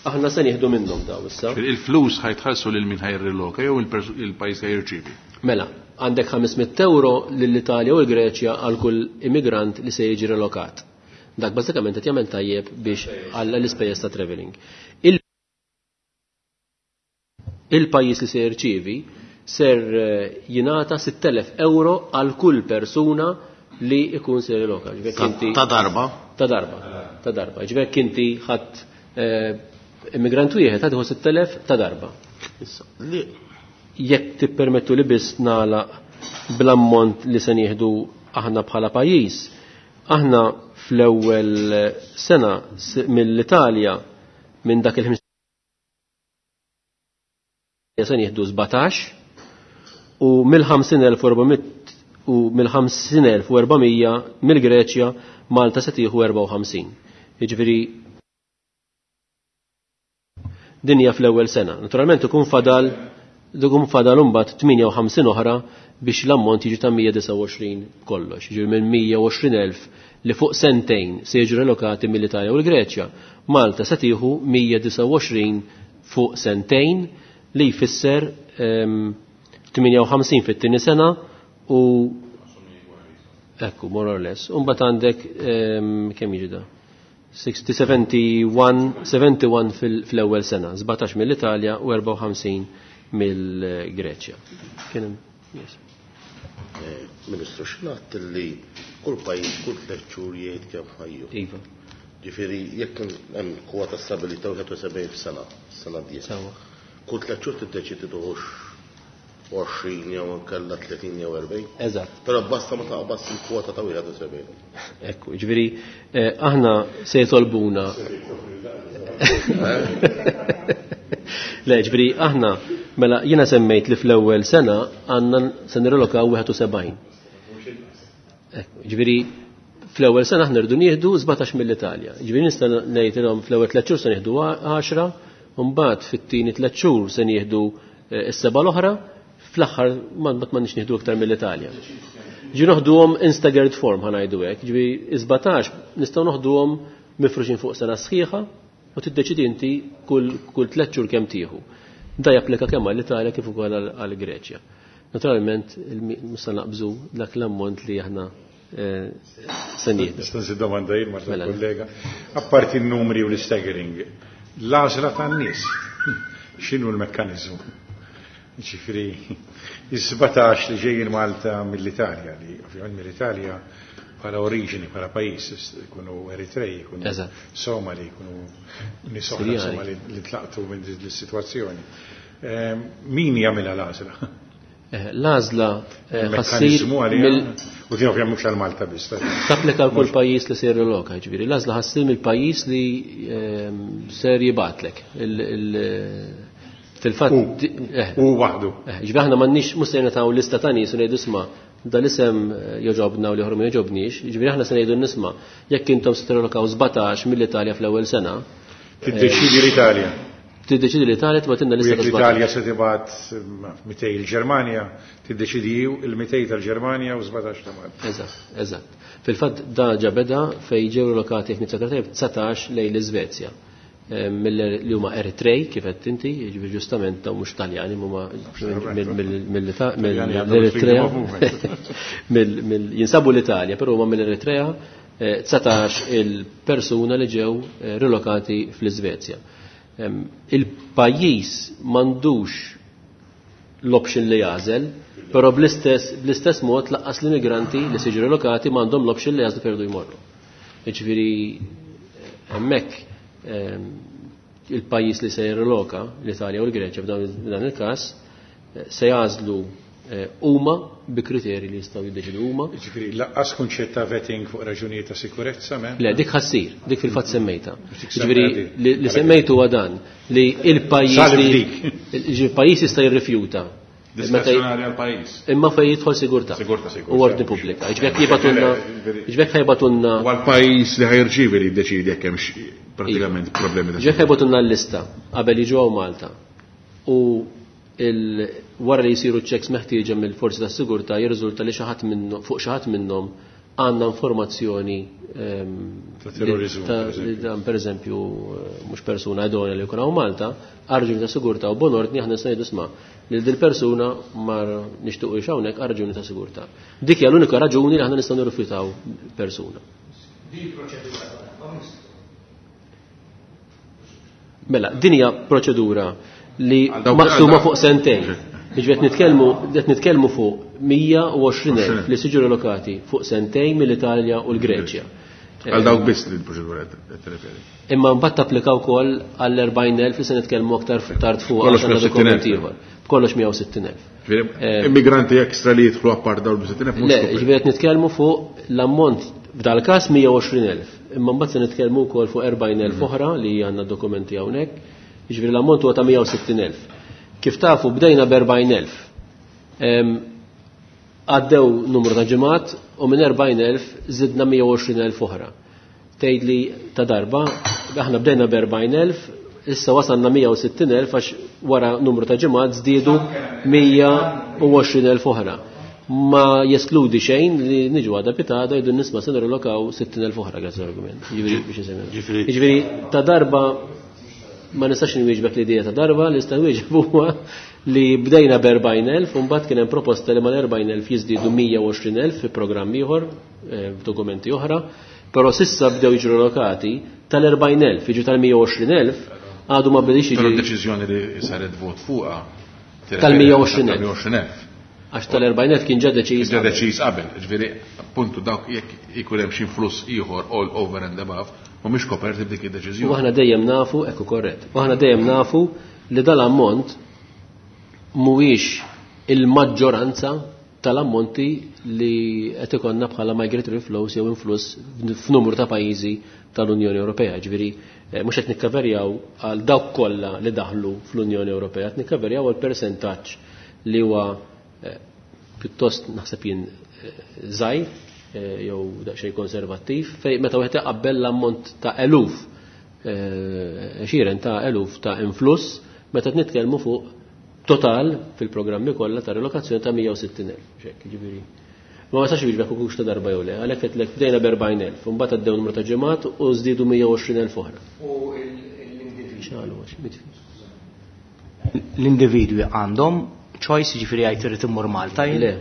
[SPEAKER 4] aħna se nieħdu minnhom daw issa.
[SPEAKER 1] Il-flus ħajtħallsu lil min ħajriloka jew il-pajjiż ħajrċievi.
[SPEAKER 4] Mela, għandek 500 euro lill-Italja u l-Greċja għal kull immigrant li se jiġi relokat. Dak bażikament qed jagħmel tajjeb biex għal l-ispejjeż ta' travelling. Il-pajjiż li se jirċievi ser jingħata 6,000 euro għal kull persuna li ikun se riloka.
[SPEAKER 5] Ta' darba?
[SPEAKER 4] Ta' darba, ta' darba. Ġifieri inti ħadd immigrant wieħed ħadd 6,000 ta' darba. Jekk tippermettu li biss nagħlaq bl-ammont li se nieħdu aħna bħala pajjiż, aħna fl-ewwel sena mill-Italja minn dak il-ħmis se nieħdu 17 u mill-50,400 u mill-50,400 mill-Greċja Malta se tieħu 54. Jiġifieri din hija fl-ewwel sena. Naturalment ikun fadal imbagħad 58 oħra biex l-ammont jiġi ta' 129 kollox. Jiġifieri minn 120,000 li fuq sentejn se jiġu relokati mill-Italja u l-Greċja, Malta se tieħu 129 fuq sentejn li jfisser 58 fit-tieni sena u ekku, more or less. Imbagħad għandek kemm jiġi da? 60, 71 fl-ewwel sena, 17 mill-Italja u 54 mill-Greċja. Kien hemm, yes.
[SPEAKER 5] Ministru, x'ngħad li kull pajjiż kull 3 xhur jgħid kemm ħajju.
[SPEAKER 4] Iva.
[SPEAKER 5] Ġifieri jekk hemm kwota stabilità 71 f'sena, sena d-dieħla.
[SPEAKER 4] Sewa.
[SPEAKER 5] Kull 3 xhur tiddeċiedi tuħux 20 jew inkella 30 jew 40.
[SPEAKER 4] Eżatt.
[SPEAKER 5] Però basta ma taqbas il-kwota ta' 71.
[SPEAKER 4] Ekku, ġifieri aħna se jitolbuna. Le, ġifieri aħna mela jiena semmejt li fl-ewwel sena għandna se nirrelokaw 71. Ekku, ġifieri fl-ewwel sena aħna rridu nieħdu 17 mill-Italja. Ġifieri nista' ngħidilhom fl-ewwel 3 xhur se nieħdu 10, u mbagħad fit-tieni 3 xhur se nieħdu s-seba' l-oħra, fl-aħħar ma m'għandniex nieħdu aktar mill-Italja. Ġi noħduhom in staggered form ħa ngħidu hekk, ġifieri 17 nistgħu noħduhom mifruxin fuq sena sħiħa u tiddeċidi inti kull 3 xhur kemm tieħu. Da japplika kemm għall-Italja kif ukoll għall-Greċja. Naturalment mhux se naqbżu dak l-ammont li aħna se nieħdu.
[SPEAKER 3] Nista' nżid domanda jien ma'
[SPEAKER 4] Mela.
[SPEAKER 3] kollega. Apparti n-numri u l-staggering, l-għażla tan-nies, x'inhu l-mekkaniżmu? Ġifieri, is-17 li ġejjin Malta mill-Italja, li ovvjament mill-Italja bħala oriġini, bħala pajjiż, ikunu Eritrej, ikunu Somali, ikunu nies oħra,
[SPEAKER 4] Sirjani.
[SPEAKER 3] insomma, li tlaqtu minn din is-sitwazzjoni. Min jagħmilha l-għażla?
[SPEAKER 4] L-għażla ħassir
[SPEAKER 3] Il-mekkaniżmu għalija,
[SPEAKER 4] mill-
[SPEAKER 3] u din ovvjament mhux għal Malta biss, ta'
[SPEAKER 4] Tapplika għal kull pajjiż li ser riloka, ġifieri. L-għażla ħassir mill-pajjiż li ser jibgħatlek. Fil-fatt
[SPEAKER 3] U waħdu.
[SPEAKER 4] Ġifieri aħna m'għandniex mhux se nagħtaw lista ta' nies u ngħidu isma' dal-isem joġobna u l-ieħor ma joġobniex, ġifieri aħna se ngħidu nisma' jekk intom se tirrelokaw 17 mill-Italja fl-ewwel sena.
[SPEAKER 3] Tiddeċidi l-Italja.
[SPEAKER 4] Tiddeċidi l-Italja tibgħatilna lista
[SPEAKER 3] U jekk
[SPEAKER 4] ta'
[SPEAKER 3] l-Italja
[SPEAKER 4] 17.
[SPEAKER 3] se tibgħat 200 il-Ġermanja, tiddeċidi il-200 tal-Ġermanja u 17 ta' Malta.
[SPEAKER 4] Eżatt, eżatt. Fil-fatt da ġa beda fejn ġew relokati jekk niftakar tajjeb 19 lejn l-Iżvezja. Li huma Eritrej, kif qed inti, jiġifieri ġustament dawn mhux Taljani, huma
[SPEAKER 3] Taljani għandhom
[SPEAKER 4] mill-Eritrea.
[SPEAKER 3] freedom of movement.
[SPEAKER 4] Jinsabu l-Italja, però huma mill-Eritrea, 19 il-persuna li ġew rilokati fl-Iżvezja. Il-pajjiż m'għandux l-option li jagħżel, però bl-istess mod laqqas l-immigranti li se jiġu relokati m'għandhom l-option li jagħżlu fejn jridu jmorru. Jiġifieri hemmhekk il-pajjiż li se jirreloka, l-Italja u l-Greċja f'dan il-każ, se jagħżlu huma bi kriterji li jistgħu jiddeċidu huma.
[SPEAKER 3] Jiġifieri laqqas kunċett ta' vetting fuq raġunijiet ta' sikurezza m'hemm?
[SPEAKER 4] Le, dik ħassir, dik fil-fatt semmejta. Jiġifieri li semmejtu huwa dan li il-pajjiż li il-pajjiż jista' jirrifjuta.
[SPEAKER 1] Diskrezzjonali għall-pajjiż.
[SPEAKER 4] Imma fejn jidħol sigurtà.
[SPEAKER 1] Sigurtà, sigurtà.
[SPEAKER 4] U ordni pubblika. Jiġifieri jibgħatulna, jiġifieri ħajbatulna.
[SPEAKER 1] U għall-pajjiż li ħajrċievi li jiddeċiedi jekk hemmx pratikament problemi ta'
[SPEAKER 4] Jiġifieri ħajbatulna l-lista qabel jiġu hawn Malta. U wara li jsiru checks meħtieġa mill-forzi tas-sigurtà jirriżulta li xi ħadd minnhom fuq xi ħadd minnhom għandna informazzjoni
[SPEAKER 3] ta' terrorizmu, per eżempju.
[SPEAKER 4] li dan pereżempju mhux persuna idonea li jkun hawn Malta, għal raġuni ta' sigurtà u bon ordni aħna nistgħu ngħidu isma' li dil persuna ma nixtiequx hawnhekk għal raġuni ta' sigurtà. Dik hija l-unika raġuni li aħna nistgħu nirrifjutaw persuna.
[SPEAKER 6] Din proċedura ta' darba, Ministru.
[SPEAKER 4] Mela, din hija proċedura li
[SPEAKER 1] Għal dawk
[SPEAKER 4] maqsuma
[SPEAKER 1] għal
[SPEAKER 4] fuq sentejn. Jiġifieri qed nitkellmu fuq 120,000 li siġu relokati fuq sentejn mill-Italja u l-Greċja.
[SPEAKER 1] Għal dawk biss li l-proċedura qed tirreferi.
[SPEAKER 4] Imma mbagħad tapplika wkoll għall-40,000 li se nitkellmu aktar tard fuq
[SPEAKER 1] Kollox
[SPEAKER 4] għax għandna
[SPEAKER 1] mija u sittin elf.
[SPEAKER 4] dokumenti ieħor. Kollox 160,000.
[SPEAKER 1] Ġifieri, immigranti ekstra li jidħlu apart dawn il-60,000 mhux
[SPEAKER 4] Le,
[SPEAKER 1] koperti.
[SPEAKER 4] ġifieri qed nitkellmu fuq l-ammont f'dal-każ 120,000. Imma mbagħad se nitkellmu wkoll fuq 40,000 oħra li għandna dokumenti hawnhekk. Ġifieri l-ammont huwa ta' 160,000. Kif tafu bdejna b'40,000. Għaddew numru ta' ġimgħat u minn 40,000 żidna 120,000 oħra. Tgħid li ta' darba, aħna bdejna b'40,000, issa wasalna 160,000 għax wara numru ta' ġimgħat żdiedu 120,000 oħra. Ma jeskludi xejn li niġu għada pitada jgħidu nisma' se nirrelokaw 60,000 oħra grazzi l-argument. Jiġifieri biex isemmi.
[SPEAKER 5] Ġifieri-
[SPEAKER 4] Jiġifieri ta' darba ma nistax nwieġbek l-idea ta' darba, li nista' nwieġeb huwa li bdejna b'40,000 u mbagħad kien hemm proposta li mal-40,000 jiżdiedu 120,000 fi programm ieħor, f'dokumenti oħra, però sissa bdew jiġu relokati tal-40,000, jiġu tal-120,000, għadu ma bdiex jiġi.
[SPEAKER 1] Però d-deċiżjoni li saret vot fuqha
[SPEAKER 4] Tal-120,000.
[SPEAKER 1] Tal-120,000.
[SPEAKER 4] Għax tal-40,000 kien ġa deċiż
[SPEAKER 1] Kien ġa
[SPEAKER 4] qabel.
[SPEAKER 1] deċiż qabel, ġifieri, appuntu dawk jekk ikun hemm xi influss ieħor all over and above, mhumiex koperti b'dik id-deċiżjoni.
[SPEAKER 4] U aħna dejjem nafu, ekku korrett, u aħna dejjem nafu li dal-ammont mhuwiex il-maġġoranza tal-ammonti li qed ikollna bħala migratory flows jew influss f'numru ta' pajjiżi tal-Unjoni Ewropea. Ġifieri mhux qed nikkaverjaw għal dawk kollha li daħlu fl-Unjoni Ewropea, qed nikkaverjaw għal persentaġġ li huwa pjuttost naħseb jien żgħir jew daqsxejn konservattiv, fej meta wieħed iqabbel l-ammont ta' eluf, għexieren ta' eluf ta' influss, meta qed nitkellmu fuq total fil-programmi kollha ta' relokazzjoni ta' 160,000. Xek, ġifieri. Ma ma sax jiġbek hux ta' darba jew le, għalhekk qed lek bdejna b'40,000, u mbagħad għaddew numru ta' ġimgħat u żdiedu 120,000 oħra.
[SPEAKER 6] U l-individwi.
[SPEAKER 4] X'għalu għax, mitfi.
[SPEAKER 6] L-individwi għandhom choice, ġifieri jgħid irid immur Malta jien?
[SPEAKER 4] Le.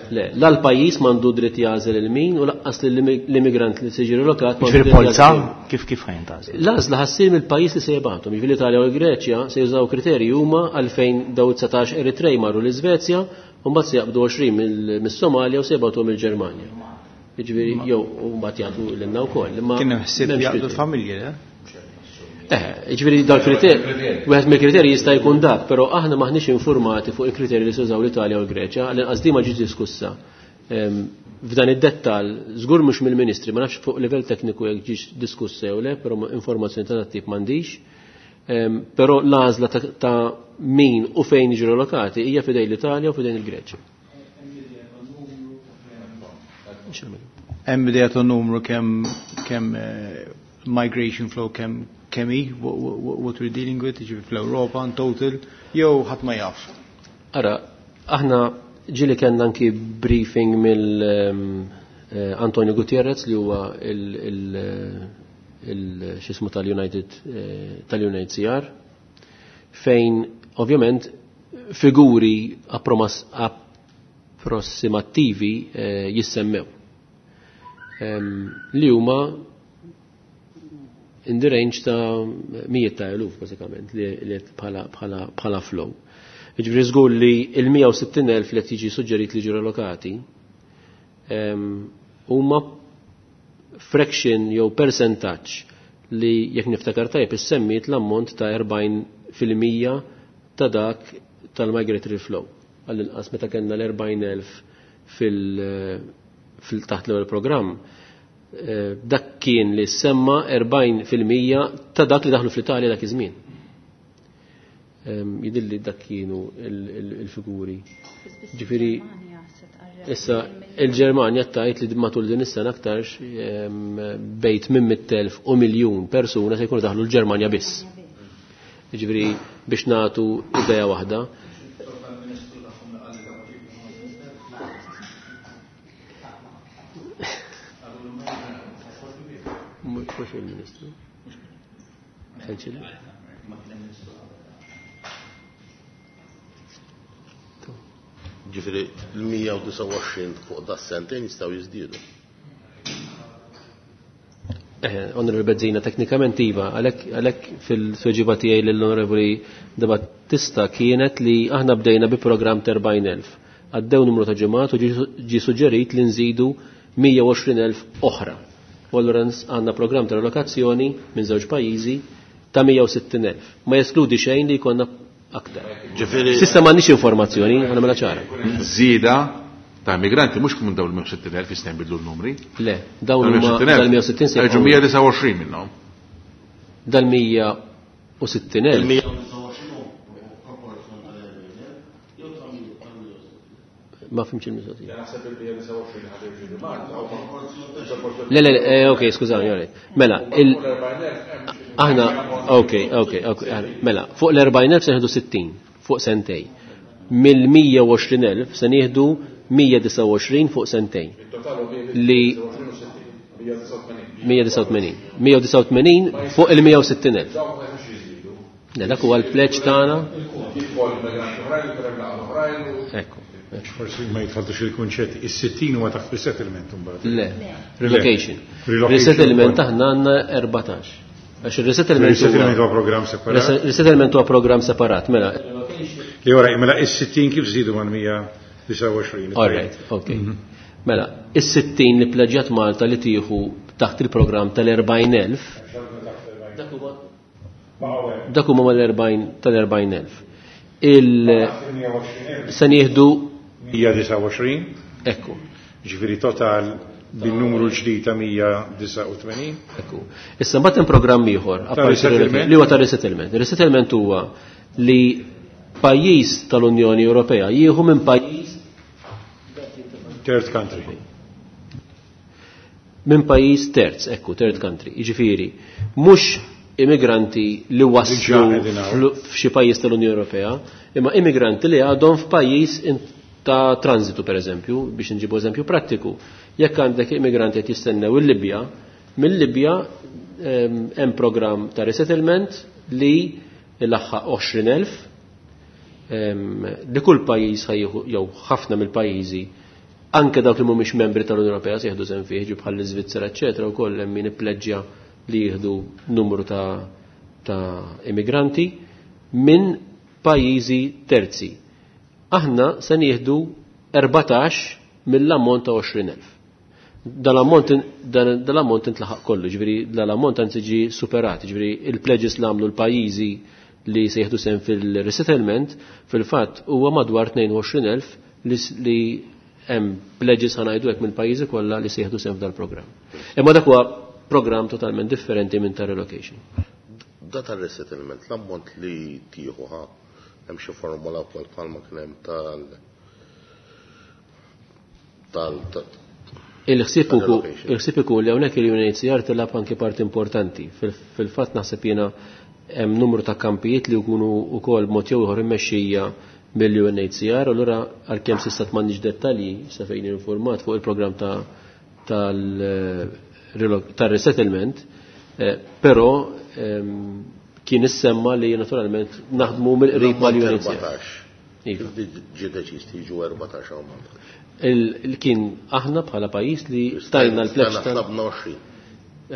[SPEAKER 4] Le, la l-pajjiż m'għandu dritt jagħżel il-min u laqqas l-immigrant li se jiġi relokat m'għandu
[SPEAKER 6] Ġifieri
[SPEAKER 4] dritt
[SPEAKER 6] polza,
[SPEAKER 4] jagħżel il-min.
[SPEAKER 6] kif ħajn tagħżel?
[SPEAKER 4] L-għażla ħassir mill-pajjiż li se jibgħathom. Ġifieri l-Italja u l-Greċja se jużaw kriterji huma għalfejn daw 19 Eritrej marru l-Iżvezja u mbagħad se jaqbdu 20 mis-Somalja u se jibgħatuhom il-Ġermanja. Jiġifieri jew u mbagħad jagħtu lilna wkoll. Imma
[SPEAKER 7] Kien hemm ħsieb
[SPEAKER 4] m'hemmx
[SPEAKER 7] jaqbdu
[SPEAKER 4] kriterji.
[SPEAKER 7] familji, le?
[SPEAKER 4] Jiġifieri dal-kriterji, wieħed mill-kriterji jista' jkun dak, però aħna maħniex informati fuq il-kriterji li se jużaw l-Italja u l-Greċja, għall-inqas din ma ġietx diskussa. F'dan id-dettall, żgur mhux mill-Ministri, ma nafx fuq livell tekniku jekk ġiex diskussa jew le, però informazzjoni ta' dat tip m'għandix. Però l-għażla ta' min u fejn jiġu relokati hija f'idejn l-Italja u f'idejn il-Greċja.
[SPEAKER 7] Hemm idea ta' numru kemm migration flow kemm hi, what we're dealing with, jiġifieri fl-Ewropa in total, jew ħadd ma jaf.
[SPEAKER 4] Ara, aħna ġieli kellna anki briefing mill Antonio Gutierrez li huwa x'ismu tal-United tal-UNHCR, fejn ovvjament figuri approssimattivi jissemmew. Li huma in the range ta' mijiet ta' eluf bażikament li bħala flow. Jiġifieri żgur li l-160,000 li qed jiġi suġġerit li jiġu relokati huma fraction jew percentaġġ li jekk niftakar tajjeb issemmiet l-ammont ta' 40% ta' dak tal-migratory flow. Għall-inqas meta kellna l-40,000 fil-taħt l-ewwel programm, dak kien li semma 40% ta' dak li daħlu fl-Italja dak iż-żmien. Jidilli dak kienu il-figuri. Ġifieri issa il-Ġermanja tajt li matul din is-sena aktarx bejt minn 100,000 u miljun persuna se jkunu daħlu l-Ġermanja biss. Ġifieri biex nagħtu idea waħda. Mhux il-Ministru.
[SPEAKER 5] Ġifieri l-129 fuq da sentejn jistgħu jiżdiedu.
[SPEAKER 4] Onorevoli Bezzina, teknikament iva, għalhekk fil-tweġiba tiegħi lill-Onorevoli De Battista kienet li aħna bdejna bi programm ta' 40,000. Għaddew numru ta' ġimgħat u ġie suġġerit li nżidu 120,000 oħra. U allura għandna programm ta' relokazzjoni minn żewġ pajjiżi ta' 160,000. Ma jeskludi xejn li jkollna aktar.
[SPEAKER 5] Ġifieri
[SPEAKER 4] S'issa m'għandniex informazzjoni, għandna mela ċara.
[SPEAKER 1] Żieda ta' immigranti mhux minn dawn il-160,000 jistgħu jbidlu l-numri.
[SPEAKER 4] Le, dawn huma dal-160 se
[SPEAKER 1] Ġu 129 minnhom.
[SPEAKER 4] Dal-160,000. Ma fimx il-mistoqsija. Le, le, ok, skużawni, all right. Mela, il aħna, ok, ok, ok, mela, fuq l-40,000 se nieħdu 60, fuq sentej. Mill-120,000 se nieħdu 129 fuq sentejn. Li 189. 189 fuq il-160,000. Le, dak huwa l-pleġġ tagħna. Ekku.
[SPEAKER 3] Forsi ma jitħaltux il-kunċett, is-60 huwa taħt resettlement imbagħad.
[SPEAKER 4] Le, relocation. Resettlement aħna għandna 14. Għax il-resettlement
[SPEAKER 3] Resettlement huwa programm separat.
[SPEAKER 4] Resettlement huwa programm separat, mela.
[SPEAKER 3] Li ora, mela is-60 kif żiedu mal-129?
[SPEAKER 4] All right, okay. Mela, is-60 li pleġġjat Malta li tieħu taħt il-programm tal-40,000. Dak huma mal-40 tal-40,000. Il se nieħdu
[SPEAKER 3] 129.
[SPEAKER 4] Ekku.
[SPEAKER 3] Ġifieri total bin-numru ġdid ta' 189.
[SPEAKER 4] Ekku. Issa mbagħad hemm programm ieħor,
[SPEAKER 3] Ta'
[SPEAKER 4] apparti
[SPEAKER 3] resettlement.
[SPEAKER 4] li huwa ta' resettlement. Resettlement huwa li pajjiż tal-Unjoni Ewropea jieħu minn pajjiż
[SPEAKER 3] third country.
[SPEAKER 4] Minn pajjiż terz, ekku, third country. Jiġifieri, mhux immigranti li waslu
[SPEAKER 3] Diġà qegħdin hawn.
[SPEAKER 4] f'xi pajjiż tal-Unjoni Ewropea, imma immigranti li għadhom f'pajjiż ta' transitu, per eżempju, biex nġibu eżempju prattiku. Jekk għandek immigranti qed jistennew il-Libja, mill-Libja hemm programm ta' resettlement li laħħaq 20,000, li kull pajjiż ħajjieħu, jew ħafna mill-pajjiżi, anke dawk li mhumiex membri tal-Unjoni Ewropea se jieħdu sehem fih, ġi bħal l-Iżvizzera, eċċetera, wkoll hemm min ippleġġja li jieħdu numru ta' immigranti minn pajjiżi terzi. Aħna se nieħdu 14 mill-ammont ta' 20,000. Dal-ammont intlaħaq kollu, ġifieri dal-ammont anzi ġie superat, ġifieri il-pledges li għamlu l-pajjiżi li se jieħdu sehem fil-resettlement, fil-fatt huwa madwar 22,000 li hemm pledges ħa ngħidu hekk mill-pajjiżi kollha li se jieħdu sehem f'dal-programm. Imma dak huwa programm totalment differenti minn ta' relocation.
[SPEAKER 5] Da ta' resettlement, l-ammont li tieħu ħa hemm xi formula wkoll bħalma kien hemm tal
[SPEAKER 4] Il-ħsieb
[SPEAKER 5] tal
[SPEAKER 4] ukoll,
[SPEAKER 5] relocation.
[SPEAKER 4] il-ħsieb ikun li hawnhekk il-UNHCR tilgħab anke parti importanti. Fil-fatt naħseb jiena hemm numru ta' kampijiet li jkunu wkoll b'mod jew ieħor immexxija mill-UNHCR, allura għalkemm s'issa m'għandniex dettalji sa fejn informat fuq il-programm tal-resettlement, però kien issemma li naturalment naħdmu mill-qrib mal-UNHCR.
[SPEAKER 5] 14.
[SPEAKER 4] Iva.
[SPEAKER 5] Kif ġie deċiż tiġu 14 hawn Malta?
[SPEAKER 4] Kien aħna bħala pajjiż li stajna l-pledge
[SPEAKER 5] Stajna tlabna 20.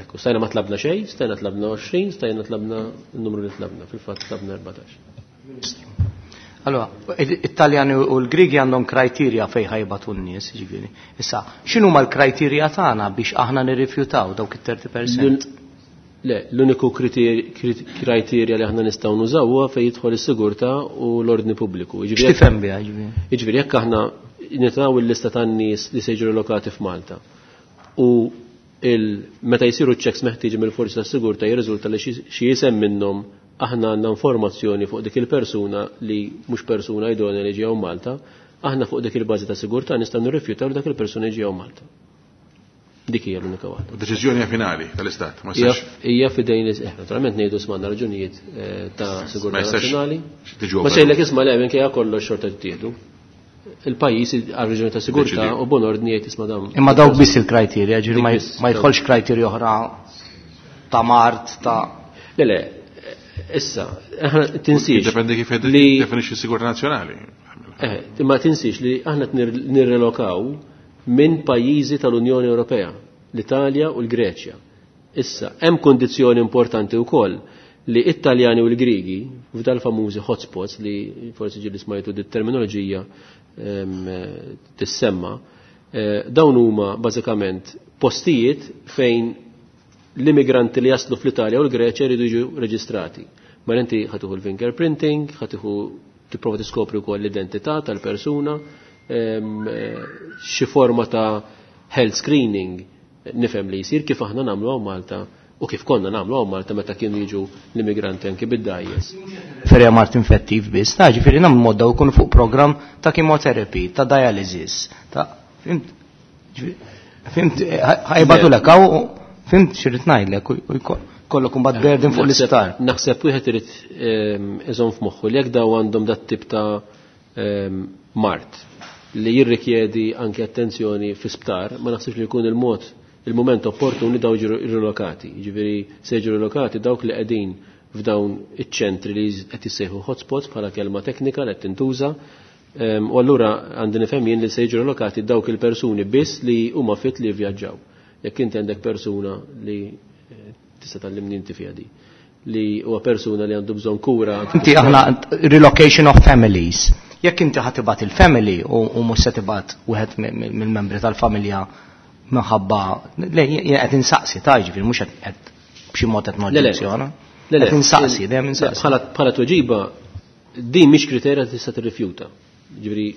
[SPEAKER 4] Ekku, stajna ma tlabna xejn, stajna tlabna 20, stajna tlabna n-numru li tlabna, fil-fatt tlabna 14.
[SPEAKER 7] Ministru.
[SPEAKER 6] Allora, it-Taljani u l-Grigi għandhom kriterja fejn ħajbatu n-nies, ġifieri. Issa, x'inhuma l-kriterja tagħna biex aħna nirrifjutaw dawk it-30%?
[SPEAKER 4] Le, l-uniku kriterja li aħna nistgħu nużaw huwa fejn jidħol is-sigurtà u l-ordni pubbliku.
[SPEAKER 6] X'tifhem biha, ġifieri?
[SPEAKER 4] Jiġifieri jekk aħna nitgħu l-lista tan-nies li se jiġu relokati f'Malta u meta jsiru ċ-checks meħtieġ mill-forzi tas-sigurtà jirriżulta li xi isem minnhom aħna għandna informazzjoni fuq dik il-persuna li mhux persuna idonea li ġew Malta, aħna fuq dik il-bażi ta' sigurtà nistgħu nirrifjutaw li dak il-persuna ġew Malta. Dik hija l-unika waħda.
[SPEAKER 1] Deċiżjoni finali tal-Istat, ma jistax.
[SPEAKER 4] Hija f'idejn naturalment ngħidu smanna raġunijiet ta' sigurtà nazzjonali. Ma sejlek isma' le minkejja kollox xorta tittieħdu. Il-pajjiż għal raġuni ta' sigurtà u bon ordni jgħid isma' dawn.
[SPEAKER 6] Imma dawk biss il-kriterja, ġifieri ma jidħolx kriterja oħra ta' mart ta'
[SPEAKER 4] Le le, issa, aħna tinsiex.
[SPEAKER 1] Jiddependi kif definixxi s-sigurtà nazzjonali.
[SPEAKER 4] Imma tinsiex li aħna nirrelokaw minn pajjiżi tal-Unjoni Ewropea, l-Italja u l-Greċja. Issa, hemm kondizzjoni importanti wkoll li it-Taljani u l-Grigi, f'dal famużi hotspots li forsi ġieli smajtu dit terminoloġija tissemma, dawn huma bażikament postijiet fejn l-immigranti li jaslu fl-Italja u l-Greċja jridu jiġu reġistrati. Ma inti ħatiħu l-fingerprinting, ħatiħu tipprova tiskopri wkoll l-identità tal-persuna, xi forma ta' health screening nifhem li jsir kif aħna nagħmlu hawn Malta u kif konna nagħmlu hawn Malta meta kienu jiġu l-immigranti anki bid-dajjes.
[SPEAKER 6] Ferja mart infettiv biss, ta' ġifieri nagħmlu modda wkoll fuq programm ta' chemotherapy, ta' dialysis, ta' fimt, fimt, ħajbatu lek hawn, fimt x'irid ngħidlek u jkollok imbagħad burden fuq l-isptar.
[SPEAKER 4] Naħseb wieħed irid iżomm f'moħħu li jekk daw għandhom dat tip ta' mart li jirrikjedi anke attenzjoni fi sptar, ma naħsibx li jkun il-mod il-moment opportun li daw jiġu rilokati. Jiġifieri se jiġu rilokati dawk li qegħdin f'dawn iċ-ċentri li qed jissejħu hotspots bħala kelma teknika li qed tintuża. U allura għandi nifhem jien li se jiġu rilokati dawk il-persuni biss li huma fit li jivvjaġġaw. Jekk inti għandek persuna li tista' tgħallimni inti fiha di, li huwa persuna li għandu bżonn kura.
[SPEAKER 6] Inti aħna relocation of families. Jekk inti ħa tibgħat il-family u mhux se tibgħat wieħed mill-membri tal-familja minħabba, le, jien qed insaqsi ta' ġifieri mhux qed b'xi mod qed noġġezzjona.
[SPEAKER 4] Le, le.
[SPEAKER 6] Qed insaqsi, dejjem insaqsi.
[SPEAKER 4] Bħala tweġiba din mhix kriterja tista' tirrifjuta. Ġifieri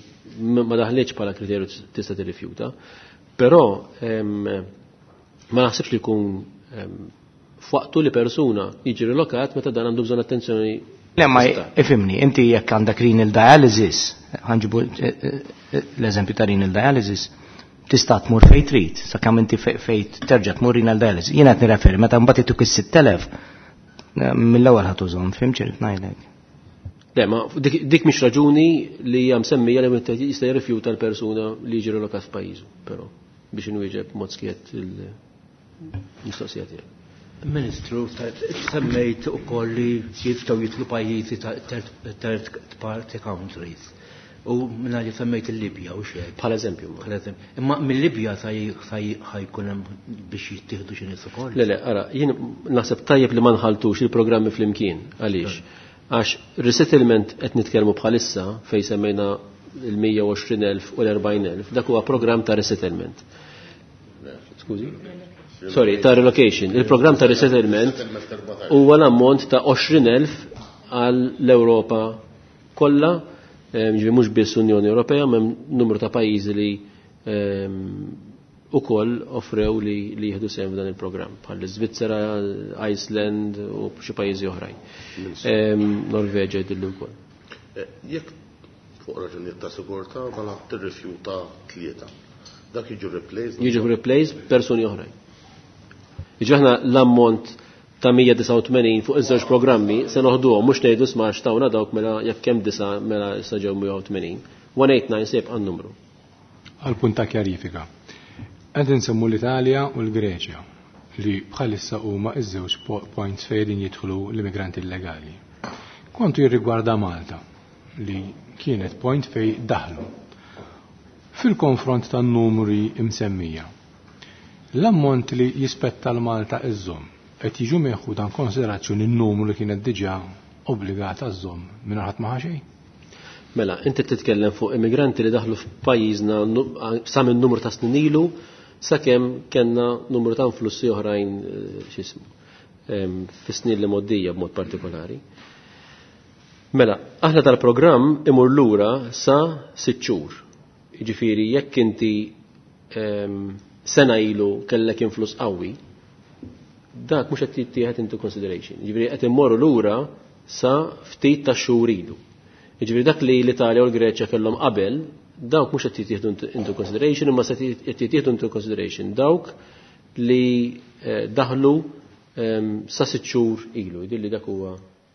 [SPEAKER 4] ma daħlitx bħala kriterju tista' tirrifjuta, però ma naħsibx li jkun f'waqtu li persuna jiġi rilokat meta dan għandu bżonn attenzjoni.
[SPEAKER 6] Le, ma ifimni, inti jekk għandek renal dialysis, ħanġibu l-eżempju ta' renal dialysis, tista' tmur fejn trid, sakemm inti fejn terġa' tmur renal dialysis. Jiena qed nirreferi meta mbagħad ituk is-6000 mill-ewwel ħadd użhom, fhimt x'irid ngħidlek.
[SPEAKER 4] Le, ma dik mhix raġuni li hija msemmija li wieħed jista' jirrifjuta l-persuna li jiġi relokat f'pajjiżu, però biex inwieġeb mod skiet il-mistoqsija tiegħek.
[SPEAKER 8] Ministru, semmejt ukoll li jistgħu jitlu pajjiżi ta' third party countries. U minna li semmejt il-Libja u xejn.
[SPEAKER 4] Bħal eżempju.
[SPEAKER 8] Bħal eżempju. Imma mill-Libja ħajkun hemm biex jittieħdu xi nies ukoll.
[SPEAKER 4] Le, le, ara, jien naħseb tajjeb li ma nħaltux il-programmi flimkien. Għaliex? Għax resettlement qed nitkellmu bħalissa fejn semmejna il-120,000 u l-40,000, dak huwa programm ta' resettlement. Skużi? Sorry, ta' relocation. Il-programm ta' resettlement huwa l-ammont ta' 20,000 għall-Ewropa kollha, ġifieri mhux biss Unjoni Ewropea, ma hemm numru ta' pajjiżi li ukoll offrew li jieħdu sehem f'dan il-programm, bħal l-Iżvizzera, Iceland u xi pajjiżi oħrajn. Norveġa jidillu wkoll.
[SPEAKER 5] Jekk fuq raġunijiet ta' sigurtà mela tirrifjuta tlieta. Dak jiġu replaced?
[SPEAKER 4] Jiġu replaced persuni oħrajn. Jiġu aħna l-ammont ta' 189 fuq iż-żewġ programmi se noħduhom mhux ngħidu sma' xtawna dawk mela jekk hemm disa' mela issa ġew 180. 189 se jibqa' n-numru.
[SPEAKER 3] Għal punt ta' kjarifika. Qed insemmu l-Italja u l-Greċja li bħalissa huma iż-żewġ points fejn jidħlu l-immigranti illegali. Kontu jirrigwarda Malta li kienet point fej daħlu. Fil-konfront tan-numri imsemmija, l-ammont li jispetta l-Malta iżżomm qed jiġu meħu dan konsiderazzjoni n-numru li kienet diġà obbligata żżomm mingħajr ħadd ma ħa xejn?
[SPEAKER 4] Mela, inti titkellem fuq immigranti li daħlu f'pajjiżna sa minn numru ta' snin ilu sakemm kellna numru ta' influssi oħrajn x'ismu fis-snin li moddija b'mod partikolari. Mela, aħna tal-programm imur lura sa 6 xhur. Jiġifieri jekk inti sena ilu kellek influss qawwi, dak mhux qed jittieħed into consideration. Jiġifieri qed immorru lura sa ftit ta' xhur ilu. Jiġifieri dak li l-Italja u l-Greċja kellhom qabel, dawk mhux qed jittieħdu into consideration, imma se qed jittieħdu into consideration dawk li daħlu sa 6 xhur ilu, jidhirli dak huwa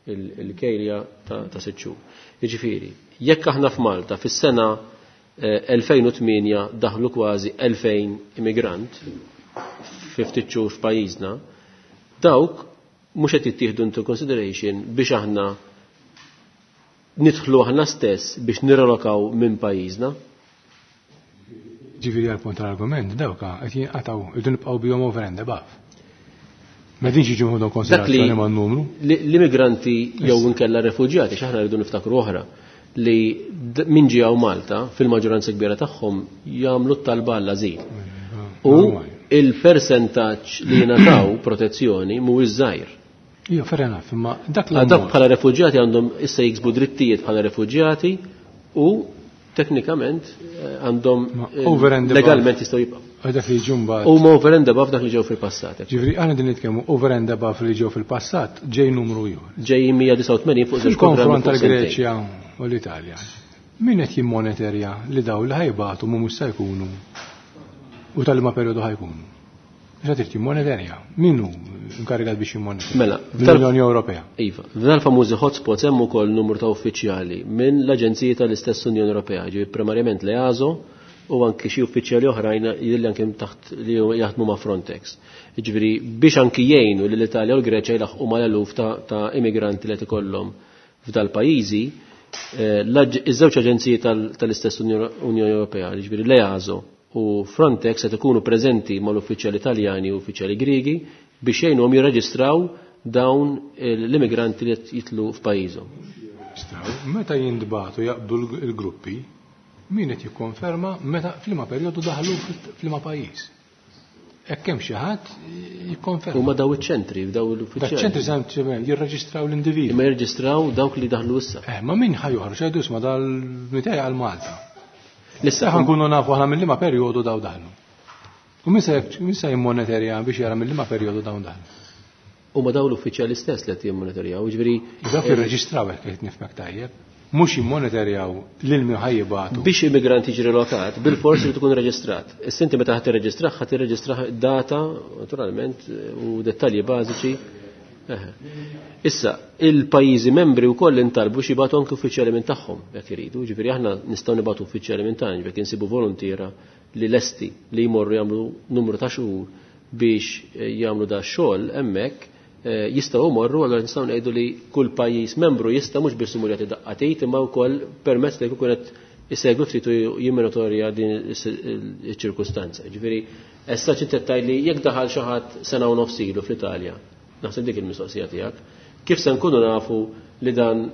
[SPEAKER 4] il-kejlja ta' 6 xhur. Jiġifieri, jekk aħna f'Malta fis-sena 2008 daħlu kważi 2000 immigrant fi ftit xhur f'pajjiżna, dawk mhux qed jittieħdu into consideration biex aħna nidħlu aħna stess biex nirrelokaw minn pajjiżna.
[SPEAKER 9] Ġifieri għal punt tal-argument, dawk qed jinqatgħu irdu nibqgħu bihom over and above. Ma dinx jiġu ħudhom konsiderazzjoni man-numru.
[SPEAKER 4] L-immigranti jew inkella refuġjati, x'aħna rridu niftakru oħra, li min ġie hawn Malta fil-maġġoranza kbira tagħhom jagħmlu t-talba għall-ażil. U il-persentaġġ li jingħataw protezzjoni mhuwiex żgħir.
[SPEAKER 9] Ija, fair enough, imma dak
[SPEAKER 4] Għal dawk bħala refuġjati għandhom issa jiksbu drittijiet bħala refuġjati u teknikament għandhom
[SPEAKER 9] over and above.
[SPEAKER 4] legalment jistgħu jibqgħu.
[SPEAKER 9] Għal dak li ġew mbagħad.
[SPEAKER 4] Huma over and above dak li ġew fil-passat.
[SPEAKER 9] Ġifieri aħna din nitkellmu over and above li ġew fil-passat ġej numru ieħor.
[SPEAKER 4] Ġej 189 fuq żewġ programmi
[SPEAKER 9] Fil-konfront
[SPEAKER 4] fuq sentejn.
[SPEAKER 9] tal-Greċja u l-Italja. Min qed jimmonitorja li daw li ħajbatu mhux se jkunu u tal-ma perjodu ħajkunu? Xa trid jimmonitorja? Min hu inkarigat biex jimmonitorja?
[SPEAKER 4] Mela,
[SPEAKER 9] Mill-Unjoni Ewropea.
[SPEAKER 4] Iva, f'dan famużi hotspots hemm ukoll numru ta' uffiċjali minn l-Aġenziji tal-istess Unjoni Ewropea, ġifieri primarjament l-EASO u anki xi uffiċjali oħrajn li anke taħt li jaħdmu ma' Frontex. Ġifieri biex anki jgħinu lil Italja u l-Greċja jlaħqu mal-eluf ta' immigranti li qed ikollhom f'dal-pajjiżi, iż-żewġ aġenziji tal-istess Unjoni Ewropea, ġifieri l-EASO u Frontex qed ikunu preżenti mal-uffiċjali Italjani u uffiċjali Griegi biex jgħinuhom jirreġistraw dawn l-immigranti li qed jitlu f'pajjiżhom.
[SPEAKER 9] Meta jintbagħtu jaqbdu l-gruppi, min qed jikkonferma meta f'liema perjodu daħlu f'liema pajjiż. Hekk hemm xi ħadd jikkonferma.
[SPEAKER 4] Huma daw iċ-ċentri, daw l-uffiċjali.
[SPEAKER 9] Dak ċentri sempliċement jirreġistraw l-individwi.
[SPEAKER 4] Imma jirreġistraw dawk li daħlu issa.
[SPEAKER 9] Ma min ħa joħroġ jgħidu isma' dal-mitej għal Malta.
[SPEAKER 4] Issa
[SPEAKER 9] ħa nkunu nafu aħna mill-liema perjodu daw daħlu. U min se jimmonitorja biex jara mill-liema perjodu dawn daħlu.
[SPEAKER 4] Huma daw l-uffiċjali stess li qed jimmonitorjaw, jiġifieri
[SPEAKER 9] Dawk jirreġistraw hekk qed nifhmek tajjeb, mhux jimmonitorjaw lil min ħa jibagħtu.
[SPEAKER 4] Biex immigrant jiġi relokat, bil-fors li tkun reġistrat. Issa inti meta ħadd tirreġistrah, ħadd tirreġistrah data, naturalment, u dettalji bażiċi. Issa, il-pajjiżi membri wkoll intalbu xi jibgħatu anke uffiċjali minn tagħhom jekk iridu. Ġifieri aħna nistgħu nibgħatu uffiċjali minn tagħna, ġifieri insibu volontiera li lesti li jmorru jagħmlu numru ta' xhur biex jagħmlu da xogħol hemmhekk, jistgħu jmorru, allura nistgħu ngħidu li kull pajjiż membru jista' mhux biss imur jagħti daqqatit imma wkoll permezz li jkun qed isegwi ftit u jimmonitorja din iċ-ċirkustanza. Ġifieri, issa xi tgħid li jekk daħal xi ħadd sena u nofs ilu fl-Italja, naħseb dik il-mistoqsija tiegħek, kif se nkunu nafu li dan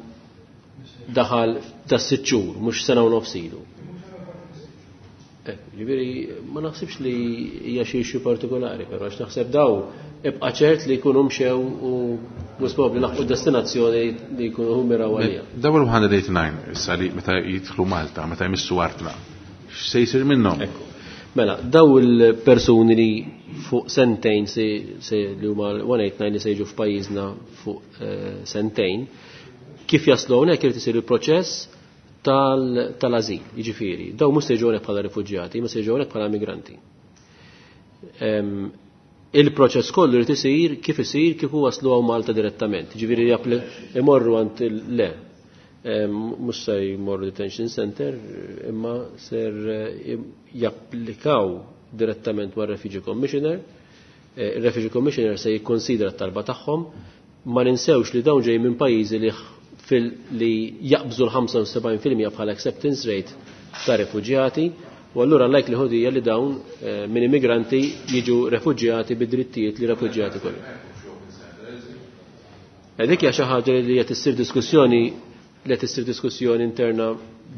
[SPEAKER 4] daħal da 6 xhur, mhux sena u nofs ilu? Ġifieri, ma naħsibx li hija xi issue partikolari, però għax naħseb daw ibqa' ċert li jkunu mxew u mhux probabbli laħqu destinazzjoni li jkunu miraw għalija.
[SPEAKER 1] Dawn il-189 issa li meta jidħlu Malta, meta jmissu artna, x'se jsir minnhom?
[SPEAKER 4] Ekku. Mela, daw il-persuni li fuq sentejn se li huma 189 li se jiġu f'pajjiżna fuq sentejn, kif jaslu hawnhekk irid isir il-proċess tal-azil, jiġifieri, daw mhux se jiġu hawnhekk bħala rifuġjati, ma se jiġu hawnhekk bħala migranti. Il-proċess kollu jrid isir kif isir kif waslu hawn Malta direttament. Jiġifieri imorru għand le. Mhux se jmorru detention center, imma ser japplikaw direttament mar Refugee Commissioner. Il-Refugee Commissioner se jikkonsidra t-talba tagħhom. Ma ninsewx li dawn ġej minn pajjiżi li jaqbżu l-75% bħala acceptance rate ta' refuġjati, u allura likelihood hija li dawn minn immigranti jiġu refuġjati bid-drittijiet li refuġjati kollu. Dik hija xi ħaġa li qed issir diskussjoni li qed issir diskussjoni interna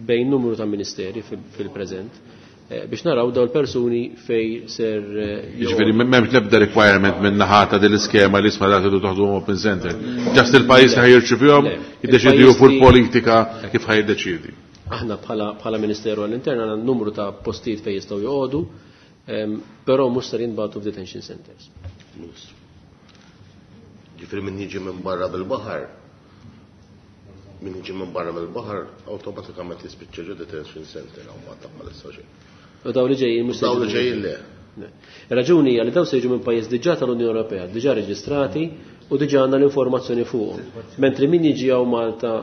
[SPEAKER 4] bejn numru ta' ministeri fil-preżent biex naraw daw l-persuni fej ser
[SPEAKER 1] Jiġifieri m'hemmx l-ebda requirement minn naħa ta' din l-iskema li isma' dak toħdu open center. Ġast il-pajjiż li ħajrċivihom jiddeċidi fuq il-politika kif ħajdeċidi.
[SPEAKER 4] Aħna bħala Ministeru għall-Intern għandna numru ta' postijiet fejn jistgħu joqogħdu, però mhux ser jinbagħtu f'detention centers.
[SPEAKER 5] Ġifieri min jiġi minn barra bil-baħar, min jiġi minn barra mill-baħar awtomatikament jispiċċa ġo detention center hawn Malta bħalissa xejn.
[SPEAKER 4] U daw li ġejjin mhux
[SPEAKER 5] Daw li ġejjin le.
[SPEAKER 4] Raġuni hija li daw se jiġu minn pajjiż diġà tal-Unjoni Ewropea, diġà reġistrati u diġà għandna l-informazzjoni fuqhom. Mentri min jiġi hawn Malta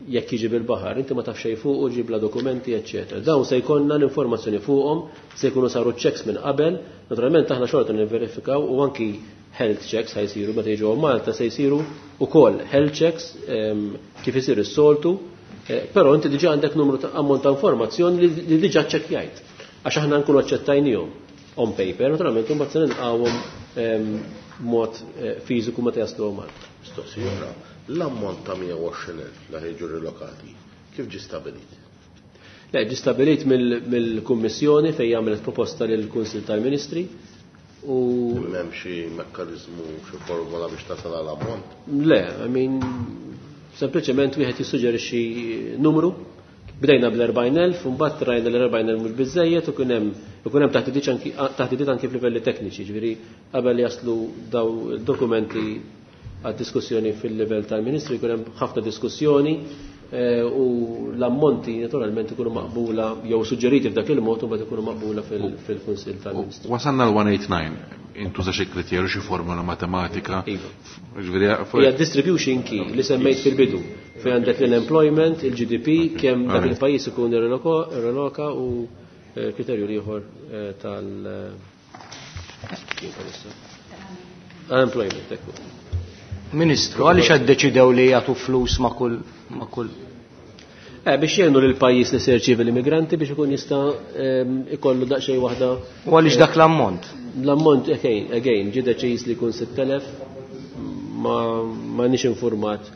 [SPEAKER 4] jekk jiġi bil-baħar, inti ma tafx xejn fuqu, ġib la dokumenti, eċċetera. Dawn se jkollna l-informazzjoni fuqhom, se jkunu saru checks minn qabel, naturalment aħna xorta nivverifikaw u anki health checks ħajsiru meta jiġu Malta se jsiru ukoll health checks kif isir is-soltu, però inti diġà għandek numru ta' ammont ta' informazzjoni li diġà ċċekkjajt. Għax aħna nkunu aċċettajnihom on paper, naturalment imbagħad se nilqgħuhom mod fiżiku meta jaslu Malta.
[SPEAKER 5] Mistoqsija oħra, l-ammont ta' 120,000 li ħejġu rilokati, kif ġie stabilit?
[SPEAKER 4] Le, ġie stabilit mill-Kummissjoni fejn għamlet proposta lill-Kunsill tal-Ministri. U
[SPEAKER 5] m'hemm xi mekkaniżmu, xi formula biex tasal għal ammont?
[SPEAKER 4] Le, I mean, sempliċement wieħed jissuġġerixxi numru. Bdejna bl-40,000, u mbagħad rajna l-40,000 mhux biżejjed u kien hemm taħdidiet anki f'livelli tekniċi, ġifieri qabel jaslu daw dokumenti għad diskussjoni fil-livell tal-Ministri jkun hemm ħafna diskussjoni u l-ammonti naturalment ikunu maqbula jew suġġeriti f'dak il-mod u mbagħad ikunu maqbula fil-Kunsill tal-Ministri.
[SPEAKER 1] Wasalna l-189, intuża xi kriterju, xi formula matematika.
[SPEAKER 4] Iva. Hija distribution key li semmejt fil-bidu fejn għandek l-employment, il-GDP, kemm dak il-pajjiż ikun irreloka u kriterju ieħor tal- unemployment, ekku.
[SPEAKER 6] Ministru, għaliex qed deċidew li jagħtu flus ma' kull
[SPEAKER 4] Biex jgħinu lil pajjiż li se jirċievi l-immigranti biex ikun jista' ikollu daqsxejn waħda.
[SPEAKER 6] U għaliex dak l-ammont?
[SPEAKER 4] L-ammont, again, ġie deċiż li jkun 6,000, ma nix informat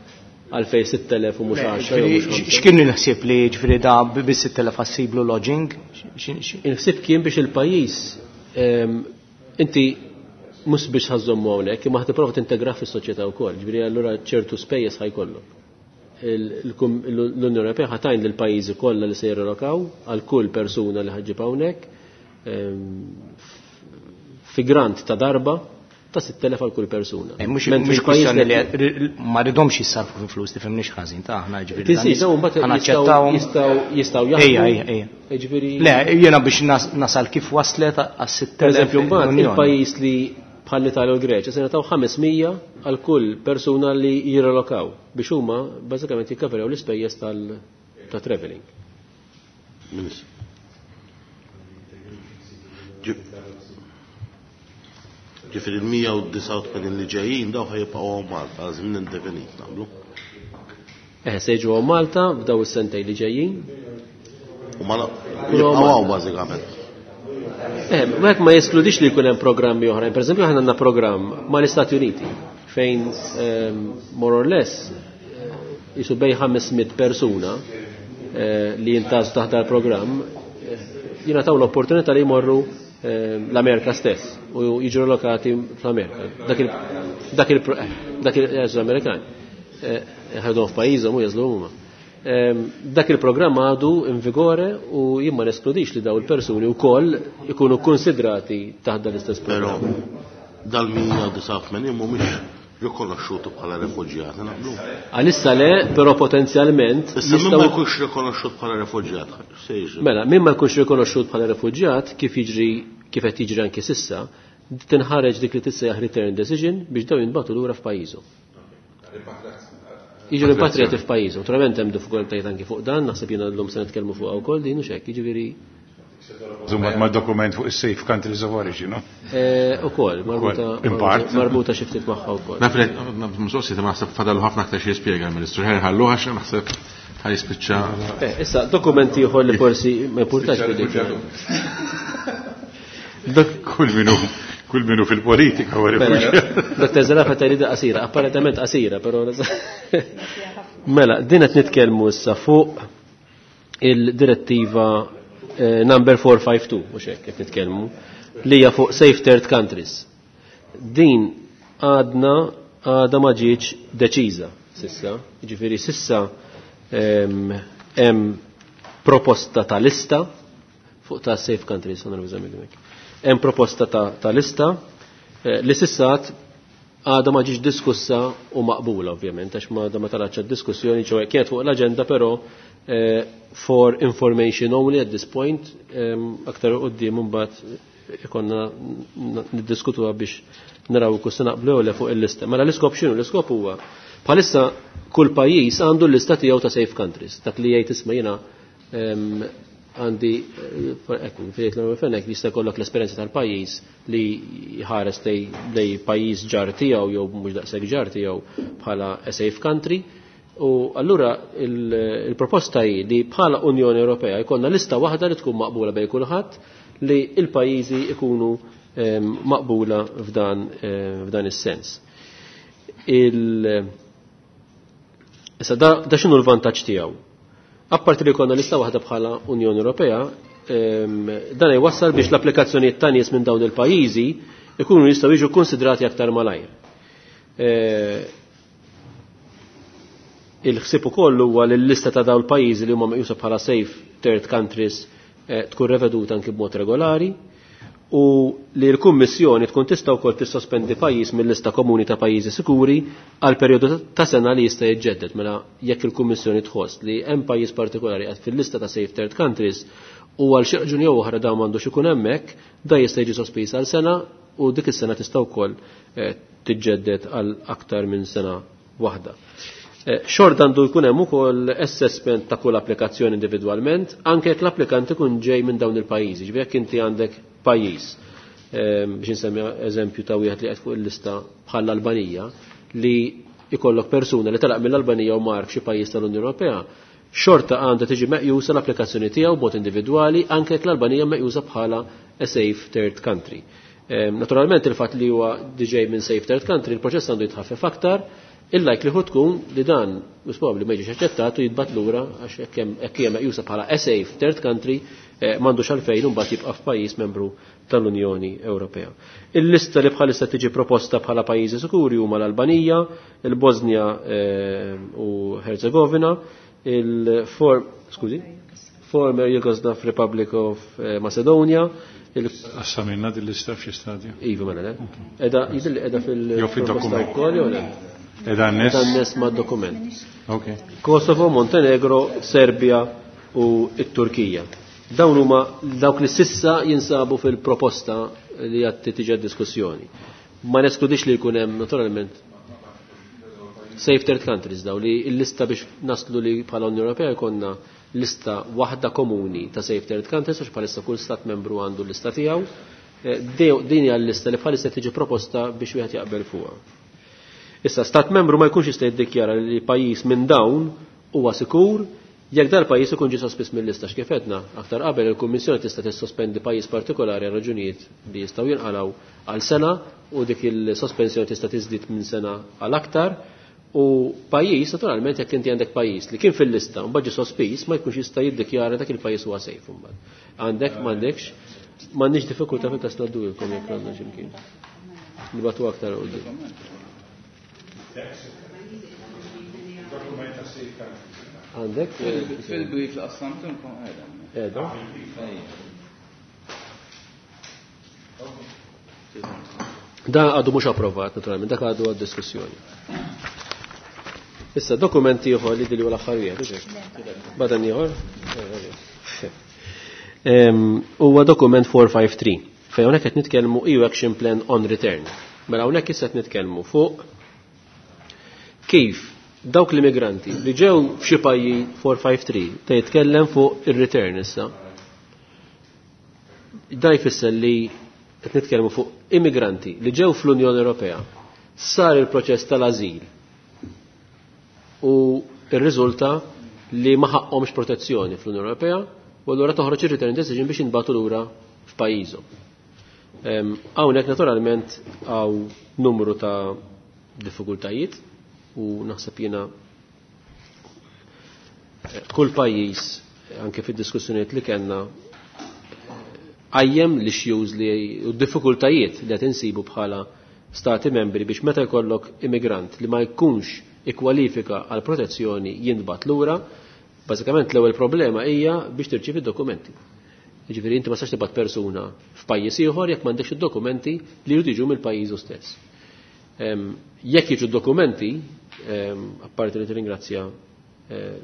[SPEAKER 4] għalfej 6,000 u mhux 10 jew mhux 5.
[SPEAKER 6] X'kien il-ħsieb li ġifieri da bi 6,000 għassiblu lodging?
[SPEAKER 4] Il-ħsieb kien biex il-pajjiż inti mhux biex ħażommu hawnhekk, imma ħa tipprova tintegra fis-soċjetà wkoll, ġifieri allura ċertu spejjeż ħajkollok. L-Unjoni Ewropea ħatajn lil pajjiżi kollha li se jirrelokaw għal kull persuna li ħaġġib hawnhekk fi grant ta' darba ta' 6,000 għal kull persuna.
[SPEAKER 6] Mhux
[SPEAKER 4] Mentri
[SPEAKER 6] mhux
[SPEAKER 4] il-pajjiż
[SPEAKER 6] kwistjoni
[SPEAKER 4] li
[SPEAKER 6] li ma ridhomx jissarfu fi flus, tifhimniex ħażin ta' aħna ġifieri.
[SPEAKER 4] Tinsiex, dawn mbagħad
[SPEAKER 6] Ħanaċċettawhom.
[SPEAKER 4] jistgħu jaħdmu.
[SPEAKER 6] Ejja, ejja, ejja.
[SPEAKER 4] Ġifieri
[SPEAKER 6] Le, jiena biex nasal kif waslet għas 6,000.
[SPEAKER 4] Per eżempju, mbagħad
[SPEAKER 6] l-Unjoni.
[SPEAKER 4] il-pajjiż li bħal l-Italja u l-Greċja se nagħtaw 500 għal kull persuna li jirrelokaw biex huma bażikament jikkaverjaw l-ispejjeż ta' traveling.
[SPEAKER 5] Ministru. Ġifieri il-189 li ġejjin daw ħajibqgħu hawn Malta għal żmien indefinit nagħmlu.
[SPEAKER 4] Se jiġu hawn Malta f'daw is-sentej li ġejjin.
[SPEAKER 5] U ma
[SPEAKER 4] Jkunu
[SPEAKER 5] jibqgħu
[SPEAKER 4] hawn
[SPEAKER 5] hawn
[SPEAKER 4] Malta.
[SPEAKER 5] bażikament.
[SPEAKER 4] Wieħed ma jeskludix li jkun hemm programmi oħrajn. Per eżempju, aħna għandna programm mal-Istati Uniti fejn more or less jisu bej 500 persuna li jintażu taħt dal-programm jingħataw l-opportunità li jmorru l-Amerika stess u jiġu relokati fl-Amerika. Dak l-Amerikan. Ħadhom f'pajjiżhom u jażlu huma. Dak il-programm għadu in vigore u jien ma neskludix li daw il-persuni wkoll ikunu konsidrati taħt dan l-istess
[SPEAKER 5] Però
[SPEAKER 4] programm.
[SPEAKER 5] dal-189 mhumiex rikonoxxuti bħala refuġjati, naqblu?
[SPEAKER 4] Għalissa le, però potenzjalment
[SPEAKER 5] Issa min
[SPEAKER 4] jistgħu
[SPEAKER 5] ma jkunx rikonoxxut bħala refuġjat, se jiġri?
[SPEAKER 4] Mela, min ma jkunx rikonoxxut bħala refuġjat, kif qed jiġri anki sissa, tinħareġ dik li tissejjaħ return decision biex daw jinbagħtu lura f'pajjiżhom. Jiġu rimpatriati f'pajjiżhom. Naturalment hemm diffikultajiet anki fuq dan, naħseb jiena llum se nitkellmu fuqha wkoll din u x'hekk, jiġifieri
[SPEAKER 3] Zumbat ma' dokument fuq is-safe countries of origin, no?
[SPEAKER 4] Ukoll,
[SPEAKER 3] In part.
[SPEAKER 4] marbuta xi ftit magħha wkoll.
[SPEAKER 1] Naf li, mistoqsi, ma naħseb fadal ħafna aktar xi jispjega l-Ministru. Ħer ħallu għax naħseb ħaj jispiċċa.
[SPEAKER 4] Issa, dokumenti ieħor li forsi ma importax
[SPEAKER 3] Spiċċa
[SPEAKER 4] billi.
[SPEAKER 3] rifuġjatu. Kull minu fil-politika huwa
[SPEAKER 4] Mela,
[SPEAKER 3] rifuġjat.
[SPEAKER 4] Dr. Zerafa tgħid qasira, apparentement qasira, però Mela, din qed nitkellmu issa fuq il-direttiva eh, number 452, mhux hekk qed nitkellmu, li hija fuq Safe Third Countries. Din għadna għadha ma ġietx deċiża sissa, jiġifieri sissa hemm proposta ta' lista fuq ta' Safe Countries, Hemm proposta ta', ta lista eh, li sissa għadha ma ġiġ diskussa u maqbula ovvjament, għax ma ma talatx diskussjoni ċoħe kienet fuq l-agenda però eh, for information only at this point, aktar qoddim mbagħad ikonna niddiskutuha biex naraw kus naqblu le fuq il-lista. Mela l-iskop x'inhu? L-iskop huwa bħalissa kull pajjiż għandu l-lista tiegħu ta' safe countries, dak li jgħid isma' jiena għandi ekku, fejt l-fenek jista' jkollok l-esperjenza tal-pajjiż li jħares lej pajjiż ġar tiegħu jew mhux daqshekk ġar tiegħu bħala a safe country. U allura il-proposta hi li bħala Unjoni Ewropea jkollna lista waħda li tkun maqbula bejn kulħadd li il-pajjiżi ikunu maqbula f'dan f'dan is-sens. Issa da, da x'inhu l-vantaġġ tiegħu? Apparti li konna lista waħda bħala Unjoni Ewropea, dan jwassal biex l-applikazzjonijiet ta' nies minn dawn il-pajjiżi ikunu jistgħu jiġu konsidrati aktar malajr. Il-ħsieb ukoll huwa li l-lista ta' dawn il-pajjiżi li huma meqjusa bħala safe third countries tkun reveduta anki b'mod regolari u li l-Kummissjoni tkun tista' wkoll tissospendi pajjiż mill-lista komuni ta' pajjiżi sikuri għal perjodu ta' sena li jista' jiġġedded mela jekk il-Kummissjoni tħoss li hemm pajjiż partikolari qed fil-lista ta' safe third countries u għal xi raġuni jew oħra dawn m'għandux ikun hemmhekk, da jista' jiġi sospiż għal sena u dik is-sena tista' wkoll tiġġedded għal aktar minn sena waħda. Xort għandu jkun hemm ukoll assessment ta' kull applikazzjoni individwalment, anke jekk l-applikant ikun ġej minn dawn il-pajjiżi. Ġifieri jekk inti għandek pajjiż, biex insemmi eżempju ta' wieħed li qed fuq il-lista bħall-Albanija, li ikollok persuna li telaq mill-Albanija u mar f'xi pajjiż tal-Unjoni Ewropea, xorta għandha tiġi meqjusa l-applikazzjoni tiegħu b'mod individwali anke jekk l-Albanija meqjusa bħala a safe third country. Naturalment il-fatt li huwa diġej minn safe third country, il-proċess għandu jitħaffef aktar, il-likelihood tkun li dan mhux probabbli ma jiġix aċċettat u jitbat lura għax hekk hija meqjusa bħala a safe third country m'għandux għalfejn imbagħad jibqa' f'pajjiż membru tal-Unjoni Ewropea. Il-lista li bħalissa tiġi proposta bħala pajjiżi sikuri huma l-Albanija, il-Bosnia u Herzegovina, il-Form skużi, former Yugoslav Republic of Macedonia,
[SPEAKER 3] Assamilna din lista f'xi stadju.
[SPEAKER 4] Iva mela le. Eda jidhirli qiegħda
[SPEAKER 3] Jew
[SPEAKER 4] fil-proposta
[SPEAKER 3] fid-dokument.
[SPEAKER 4] wkoll jew le?
[SPEAKER 3] Qiegħda n-nies?
[SPEAKER 4] Qiegħda n-nies mad-dokument.
[SPEAKER 3] Ok.
[SPEAKER 4] Kosovo, Montenegro, Serbia u t-Turkija. Dawn huma dawk li sissa jinsabu fil-proposta li qed tiġi diskussjoni. Ma neskludix li jkun hemm naturalment safe third countries daw li l-lista biex naslu li bħala Unjoni Ewropea jkollna lista waħda komuni ta' safe third countries għax bħalissa kull stat membru għandu l-lista tiegħu. Din hija l-lista li bħalissa tiġi proposta biex wieħed jaqbel fuqha. Issa stat membru ma jkunx jista' jiddikjara li pajjiż minn dawn huwa sikur jekk dal-pajjiż ikun ġie sospiż mill-lista x'kif għedna aktar qabel il-Kummissjoni tista' tissospendi pajjiż partikolari għal raġunijiet li jistgħu jinqalgħu għal sena u dik il-sospensjoni tista' tiżdied minn sena għal aktar. U pajjiż, naturalment, jekk inti għandek pajjiż li kien fil-lista u mbagħad ġie sospiż, ma jkunx jista' jiddikjara dak il-pajjiż huwa safe imbagħad. Għandek, m'għandekx, m'għandniex diffikultà fil-każ ngħaddulkom jekk għandna xi mkien. Nibgħatu aktar quddiem. Għandek?
[SPEAKER 2] Fil-brief li qassamtilkom qiegħda.
[SPEAKER 4] Qiegħda? Da għadu mhux approvat, naturalment, dak għadu għad diskussjoni. Issa, dokumenti ieħor li dili l-aħħar wieħed, hux hekk? Badan ieħor? Huwa dokument 453, fejn hawnhekk qed nitkellmu EU Action Plan on Return. Mela hawnhekk issa qed nitkellmu fuq kif dawk l-immigranti li ġew f'xi pajjiż 453 ta' jitkellem fuq ir-return issa. Da jfisser li qed nitkellmu fuq immigranti li ġew fl-Unjoni Ewropea, sar il-proċess tal-ażil u rriżulta li ma ħaqhomx protezzjoni fl-Unjoni Ewropea u allura toħroġ ir-return decision biex jinbagħtu lura f'pajjiżhom. Hawnhekk naturalment hawn numru ta' diffikultajiet u naħseb jiena Kull pajjiż anke fid-diskussjonijiet li kellna qajjem l-issues li u d-diffikultajiet li qed insibu bħala stati membri biex meta jkollok immigrant li ma jkunx ikkwalifika għal protezzjoni jintbagħat lura, bażikament l-ewwel problema hija biex tirċievi d-dokumenti. Jiġifieri inti ma tistax tibgħat persuna f'pajjiż ieħor jekk m'għandekx id-dokumenti li jridu jiġu mill-pajjiżu stess. Jekk jiġu d-dokumenti, apparti li tirringrazzja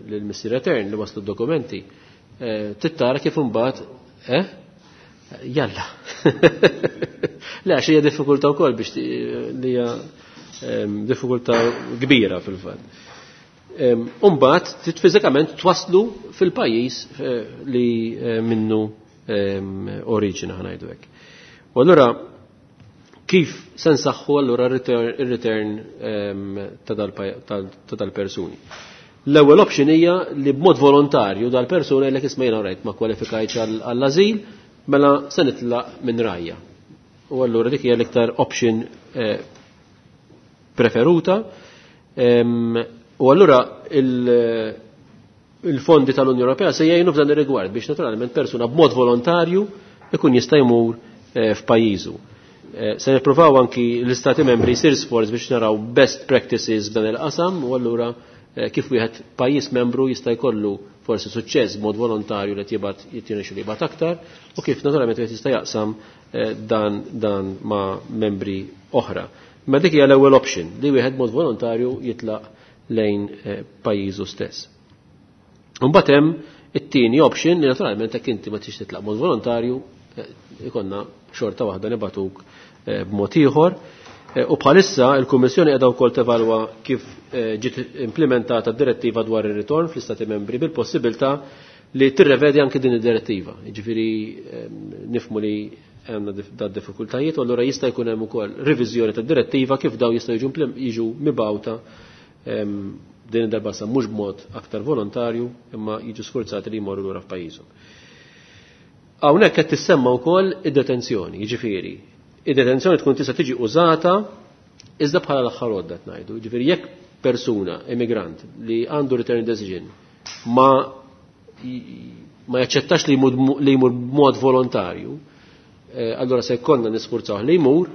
[SPEAKER 4] lil Missier Etern li waslu d-dokumenti, tittara kif imbagħad, eh? Jalla. Le, għax hija diffikultà wkoll biex li hija diffikultà kbira fil-fatt. Umbagħad trid fiżikament twaslu fil-pajjiż li minnu oriġina ħa ngħidu hekk. U allura kif se nsaħħu allura ir-return ta' dal-persuni? L-ewwel option hija li b'mod volontarju dal-persuna jgħidlek isma' jiena rajt ma kwalifikajtx għall-ażil, mela se nitlaq minn rajja. U allura dik hija l-iktar option preferuta. U allura il-fondi tal-Unjoni Ewropea se jgħinu f'dan ir-rigward biex naturalment persuna b'mod volontarju ikun jista' jmur f'pajjiżu. Se nippruvaw anki l-Istati membri jsir sforz biex naraw best practices f'dan il-qasam u allura kif wieħed pajjiż membru jista' jkollu forsi suċċess b'mod volontarju li jibgħat jittinexxu li jibgħat aktar u kif naturalment wieħed jista' jaqsam dan ma' membri oħra. Ma dik hija l-ewwel option li wieħed mod volontarju jitlaq lejn pajjiżu stess. Imbagħad hemm it-tieni option li naturalment jekk inti ma tix titlaq mod volontarju ikonna xorta waħda nibatuk b'mod ieħor. U bħalissa il-Kummissjoni qiegħda wkoll tevalwa kif ġiet implementata d-direttiva dwar ir-ritorn fl-Istati Membri bil-possibilità li tirrevedi anke din id-direttiva. Jiġifieri nifhmu li għandna da diffikultajiet u allura jista' jkun hemm ukoll reviżjoni tad-direttiva kif daw jistgħu jiġu mibgħuta din id-darba sa mhux b'mod aktar volontarju imma jiġu sfurzati li jmorru lura f'pajjiżhom. Hawnhekk qed tissemma wkoll id-detenzjoni, jiġifieri id-detenzjoni tkun tista' tiġi użata iżda bħala l-aħħar għodda ngħidu. Jiġifieri jekk persuna, immigrant, li għandu return decision ma jaċċettax li jmur b'mod volontarju, allura se jkollna nisfurzaw li jmur,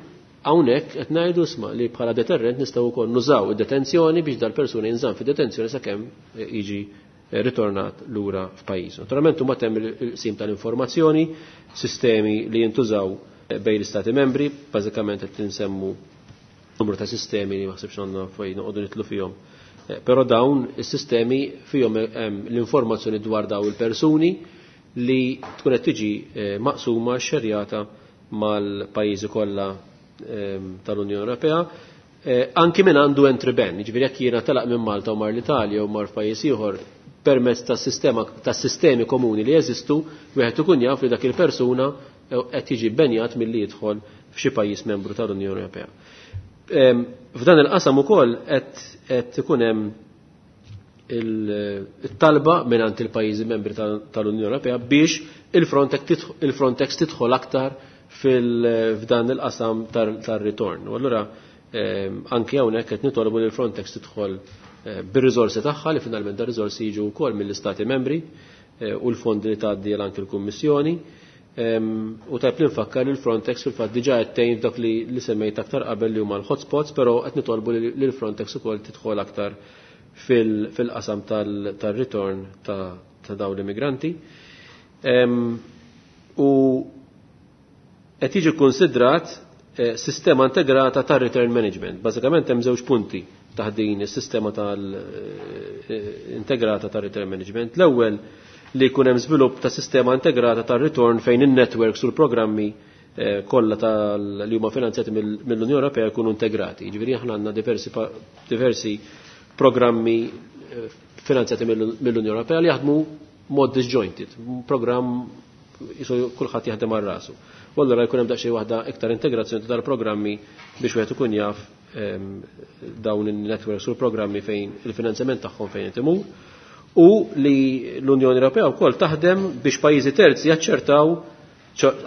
[SPEAKER 4] hawnhekk qed ngħidu isma' li bħala deterrent nistgħu wkoll nużaw id-detenzjoni biex dal-persuna jinżamm fid-detenzjoni sakemm jiġi ritornat lura f'pajjiżu. Naturalment huma temm il-qsim tal-informazzjoni, sistemi li jintużaw bejn l-Istati membri, bażikament qed insemmu numru ta' sistemi li ma ħsibx għandna fejn noqogħdu nitlu fihom. Però dawn is-sistemi fihom hemm l-informazzjoni dwar daw il-persuni li tkun qed tiġi maqsuma xerjata mal-pajjiżi kollha tal-Unjoni Ewropea, anki min għandu entry ban, jiġifieri jekk jiena telaq minn Malta u mar l-Italja u mar f'pajjiż ieħor permezz tas-sistema tas sistemi komuni li jeżistu, wieħed ikun jaf li dak il-persuna qed jiġi benjat milli jidħol f'xi pajjiż membru tal-Unjoni Ewropea. F'dan il-qasam ukoll qed ikun hemm il-talba mingħand il-pajjiżi membri tal-Unjoni Ewropea biex il-Frontex tidħol aktar f'dan il-qasam tar-ritorn. U allura anke hawnhekk qed nitolbu li l-Frontex tidħol bir-riżorsi tagħha li finalment dar riżorsi jiġu wkoll mill-Istati membri u l-fondi li tgħaddi anke l-Kummissjoni. U tajb li nfakkar li l-Frontex fil-fatt diġà qed tgħin f'dak li semmejt aktar qabel li huma l-hotspots, però qed nitolbu li l-Frontex ukoll tidħol aktar fil-qasam tar-ritorn ta' dawn l-immigranti. U qed jiġi kkunsidrat sistema integrata tar return management. Bażikament hemm żewġ punti taħt din is-sistema tal-integrata tar return management. L-ewwel li jkun hemm żvilupp ta' sistema integrata tar ritorn fejn in-networks u l-programmi kollha li huma finanzjati mill-Unjoni Ewropea jkunu integrati. Jiġifieri aħna għandna diversi programmi finanzjati mill-Unjoni Ewropea li jaħdmu mod disjointed, programm jisu kulħadd jaħdem għal rasu. U allura jkun hemm daqsxejn waħda iktar integrazzjoni tal-programmi biex wieħed ikun jaf dawn in-networks u l-programmi fejn il-finanzjament tagħhom fejn qed imur. U li l-Unjoni Ewropea wkoll taħdem biex pajjiżi terzi jaċċertaw,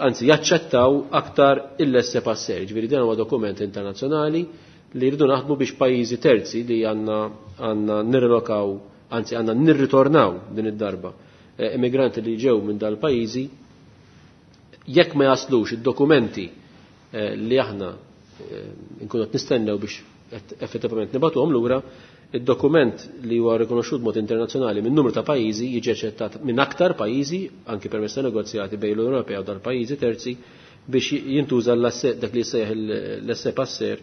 [SPEAKER 4] anzi jaċċettaw aktar il-laissez passer. Ġifieri dan huwa dokument internazzjonali li rridu naħdmu biex pajjiżi terzi li għandna nirrelokaw anzi għandna nirritornaw din id-darba immigranti li ġew minn dal-pajjiżi jekk ma jaslux id-dokumenti li aħna nkunu qed nistennew biex effettivament nibatuhom lura, id-dokument li huwa rikonoxxut mod internazzjonali minn numru ta' pajjiżi jiġi aċċettat minn aktar pajjiżi anki permezz ta' negozjati bejn l-Unjoni Ewropea u dal-pajjiżi terzi biex jintuża dak li jsejjaħ l-laissez passer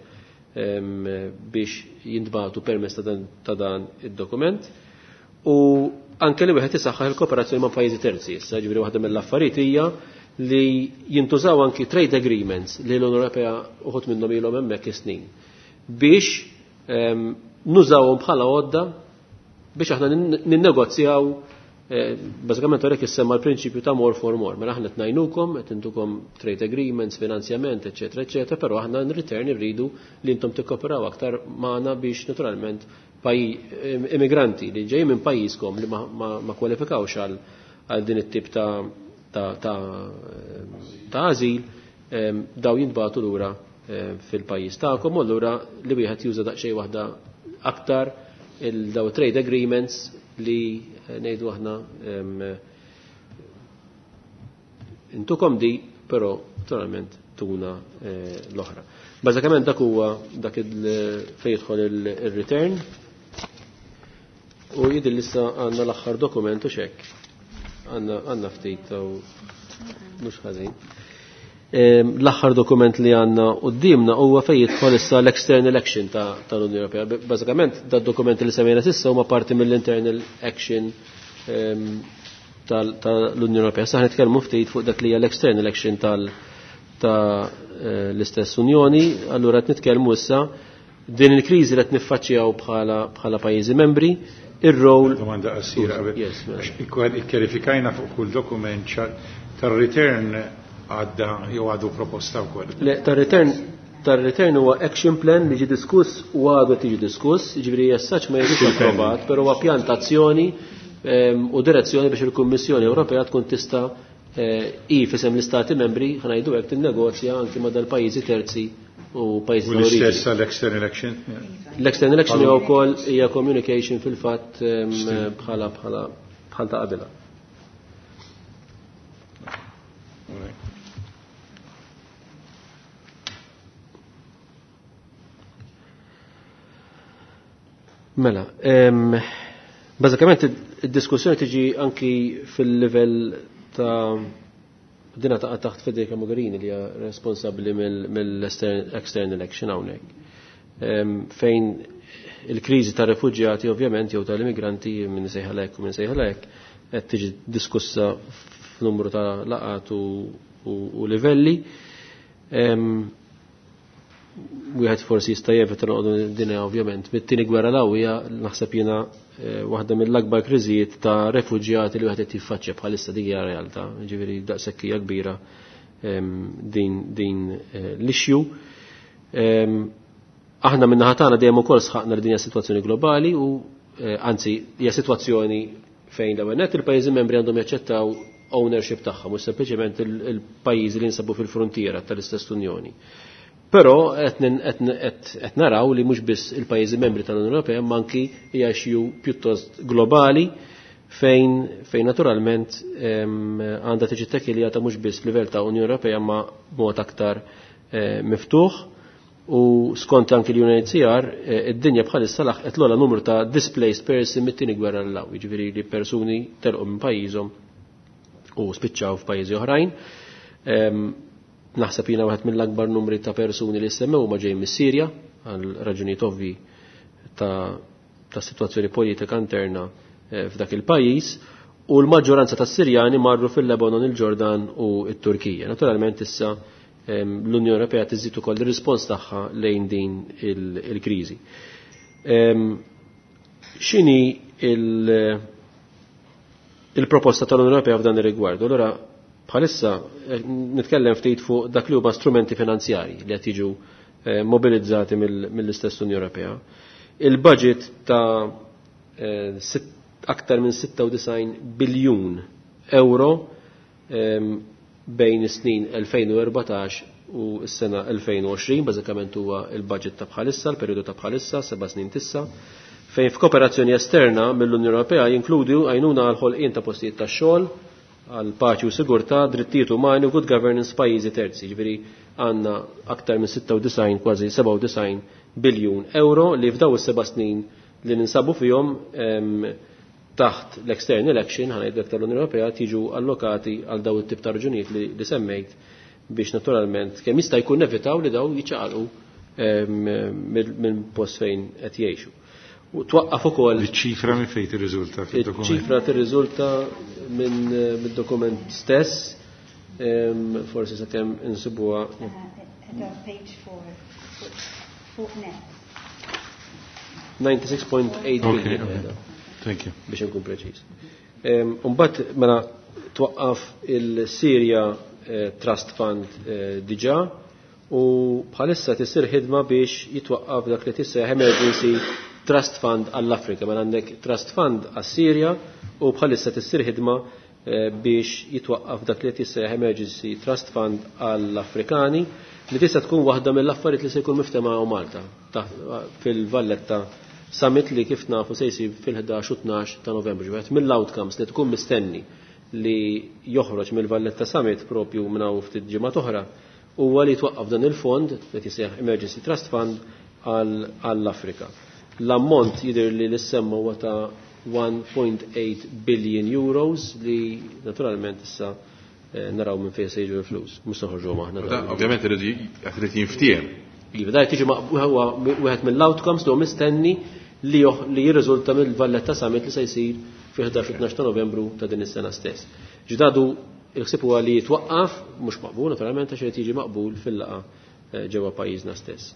[SPEAKER 4] biex jintbagħtu permezz ta' dan id-dokument. U anke li wieħed isaħħaħ il-kooperazzjoni ma' pajjiżi terzi. Issa ġifieri waħda mill-affarijiet hija li jintużaw anki trade agreements li l-Unjoni Ewropea uħud minnhom ilhom hemmhekk is-snin biex nużawhom bħala għodda biex aħna ninnegozjaw bażikament għalhekk issemma l-prinċipju ta' more for more. Mela aħna qed ngħinukom, qed intukom trade agreements, finanzjament, eċetera, eċetera, però aħna in return irridu li intom tikkoperaw aktar magħna biex naturalment immigranti li ġejjin minn pajjiżkom li ma kwalifikawx għal din it-tip ta' ażil, daw jintbagħtu lura fil-pajjiż tagħkom, u allura li wieħed juża daqsxejn waħda aktar il-daw trade agreements li ngħidu aħna intukom di, però naturalment tuna l-oħra. Bażikament dak huwa dak fejn jidħol il-return u jidher issa għandna l-aħħar dokument u xekk. Għandna ftit u mhux ħażin. L-aħħar dokument li għandna qudiemna huwa fejn jidħol issa l-external action tal-Unjoni Ewropea. Bażikament da dokument li semmejna s'issa huma parti mill-internal action tal-Unjoni Ewropea. Sa nitkellmu ftit fuq dak li hija l-external action ta' l-istess Unjoni, allura qed nitkellmu issa din il-kriżi li qed niffaċċjaw bħala pajjiżi membri, ir-rol.
[SPEAKER 3] Domanda qasira qabel.
[SPEAKER 4] Yes, mela.
[SPEAKER 3] Ikkjarifikajna fuq kull dokument tar-return għadda jew għadu proposta wkoll.
[SPEAKER 4] Le, tar-return huwa action plan li ġi diskuss u għadu tiġi diskuss, jiġifieri jessaċ ma jiġix approvat, però huwa pjan ta' azzjoni u direzzjoni biex il-Kummissjoni Ewropea tkun tista' i fisem l-Istati membri ħanajdu hekk tinnegozja anki ma' dal-pajjiżi terzi u pajjiżi
[SPEAKER 3] U l-istess għall-external action?
[SPEAKER 4] L-external action hija wkoll hija communication fil-fatt bħal ta' qabilha. Mela, bażikament id-diskussjoni tiġi anki fil-livell ta' dina taqa' taħt Federica Mogherini li hija responsabbli mill-external action hawnhekk. Fejn il-kriżi ta' refuġjati ovvjament jew tal-immigranti minn sejħalek u minn sejħalek qed tiġi diskussa f'numru ta' laqat u livelli. Wieħed forsi jista' jevita noqogħdu dinja ovvjament. Mit-tieni gwerra l-ewwel naħseb jiena waħda mill-akbar kriżijiet ta' refuġjati li wieħed qed jiffaċċja bħalissa dik hija realtà, jiġifieri daqshekk hija kbira din l-issue. Aħna min-naħa tagħna dejjem ukoll sħaqna li din hija sitwazzjoni globali u anzi hija sitwazzjoni fejn l-ewwel nett il-pajjiżi membri għandhom jaċċettaw ownership tagħha, mhux sempliċement il-pajjiżi li jinsabu fil-frontiera tal-istess Unjoni. Però qed naraw li mhux biss il-pajjiżi membri tal-Unjoni Ewropea imma anki hija issue pjuttost globali fejn naturalment għandha tiġi tekkiljata mhux biss livell ta' Unjoni Ewropea ma b'mod aktar miftuħ. U skont anki l-UNHCR id-dinja bħalissa laħqet l-ogħla numru ta' displaced person mit-tieni gwerra l hawn, jiġifieri li persuni telqu minn pajjiżhom u spiċċaw f'pajjiżi oħrajn. Naħseb jiena wieħed mill-akbar numri ta' persuni li semmew huma ġejjin mis-Sirja għal raġunijiet ovvi ta' sitwazzjoni politika interna f'dak il-pajjiż, u l-maġġoranza tas-Sirjani marru fil-Lebanon, il-Ġordan u t-Turkija. Naturalment issa l-Unjoni Ewropea tiżid ukoll ir-rispons tagħha lejn din il-kriżi. X'inhi il-proposta tal-Unjoni Ewropea f'dan ir-rigward? Allura bħalissa nitkellem ftit fuq dak li huma strumenti finanzjarji li qed jiġu mobilizzati mill-istess Unjoni Ewropea. Il-budget ta' aktar minn 96 biljun euro bejn is-snin 2014 u s-sena 2020, bażikament huwa il-budget ta' bħalissa, l-perjodu ta' bħalissa, 7 snin tissa, Fejn f'kooperazzjoni esterna mill-Unjoni Ewropea jinkludu għajnuna għal ħolqien ta' postijiet ta' xogħol, għal paċi u sigurtà, drittijiet umani u good governance pajjiżi terzi. Ġifieri għandna aktar minn 96 kważi 97 biljun euro li f'daw is-seba' snin li ninsabu fihom taħt l-external action ħanajdlek tal-Unjoni Ewropea tiġu allokati għal daw it-tip ta' raġunijiet li, li semmejt biex naturalment kemm jista' jkun nevitaw li daw jiċċaqalqu minn post fejn qed jgħixu. U twaqqaf ukoll
[SPEAKER 3] Iċ-ċifra minn fejn tirriżulta fid-dokument?
[SPEAKER 4] Iċ-ċifra tirriżulta minn mid-dokument stess, forsi sakemm insibuha.
[SPEAKER 10] Page 4, fuq net.
[SPEAKER 4] 96.8 billion.
[SPEAKER 1] Okay. Thank you.
[SPEAKER 4] Biex nkun preċiż. Mbagħad mela twaqqaf il-Sirja Trust Fund diġà u bħalissa tisir ħidma biex jitwaqqaf dak li tissejjaħ Emergency Trust Fund għall-Afrika. Mela għandek Trust Fund għas-Sirja u bħalissa tissir ħidma biex jitwaqqaf dak li tissejjaħ Emergency Trust Fund għall-Afrikani li tista' tkun waħda mill-affarijiet li se jkun miftema u Malta fil-Valletta Summit li kif nafu se jsir fil-11 u 12 ta' Novembru. Ġifieri mill-outcomes li tkun mistenni li joħroġ mill-Valletta Summit propju minn hawn ftit ġimgħa oħra huwa li twaqqaf dan il-fond li tisejjaħ Emergency Trust Fund għall-Afrika. L-ammont jidher li l-semma huwa ta' 1.8 billion euros li naturalment issa naraw minn fejn se jiġu l-flus. Mhux noħorġu aħna.
[SPEAKER 1] Ovvjament irid jinftiehem.
[SPEAKER 4] Iva, da tiġi huwa wieħed mill-outcomes li mistenni li jirriżulta mill-Valletta Summit li se jsir fi 11 ta' Novembru ta' din is-sena stess. Ġdadu il-ħsieb huwa li jitwaqqaf, mhux maqbul naturalment għax irid jiġi maqbul fil-laqgħa ġewwa pajjiżna stess.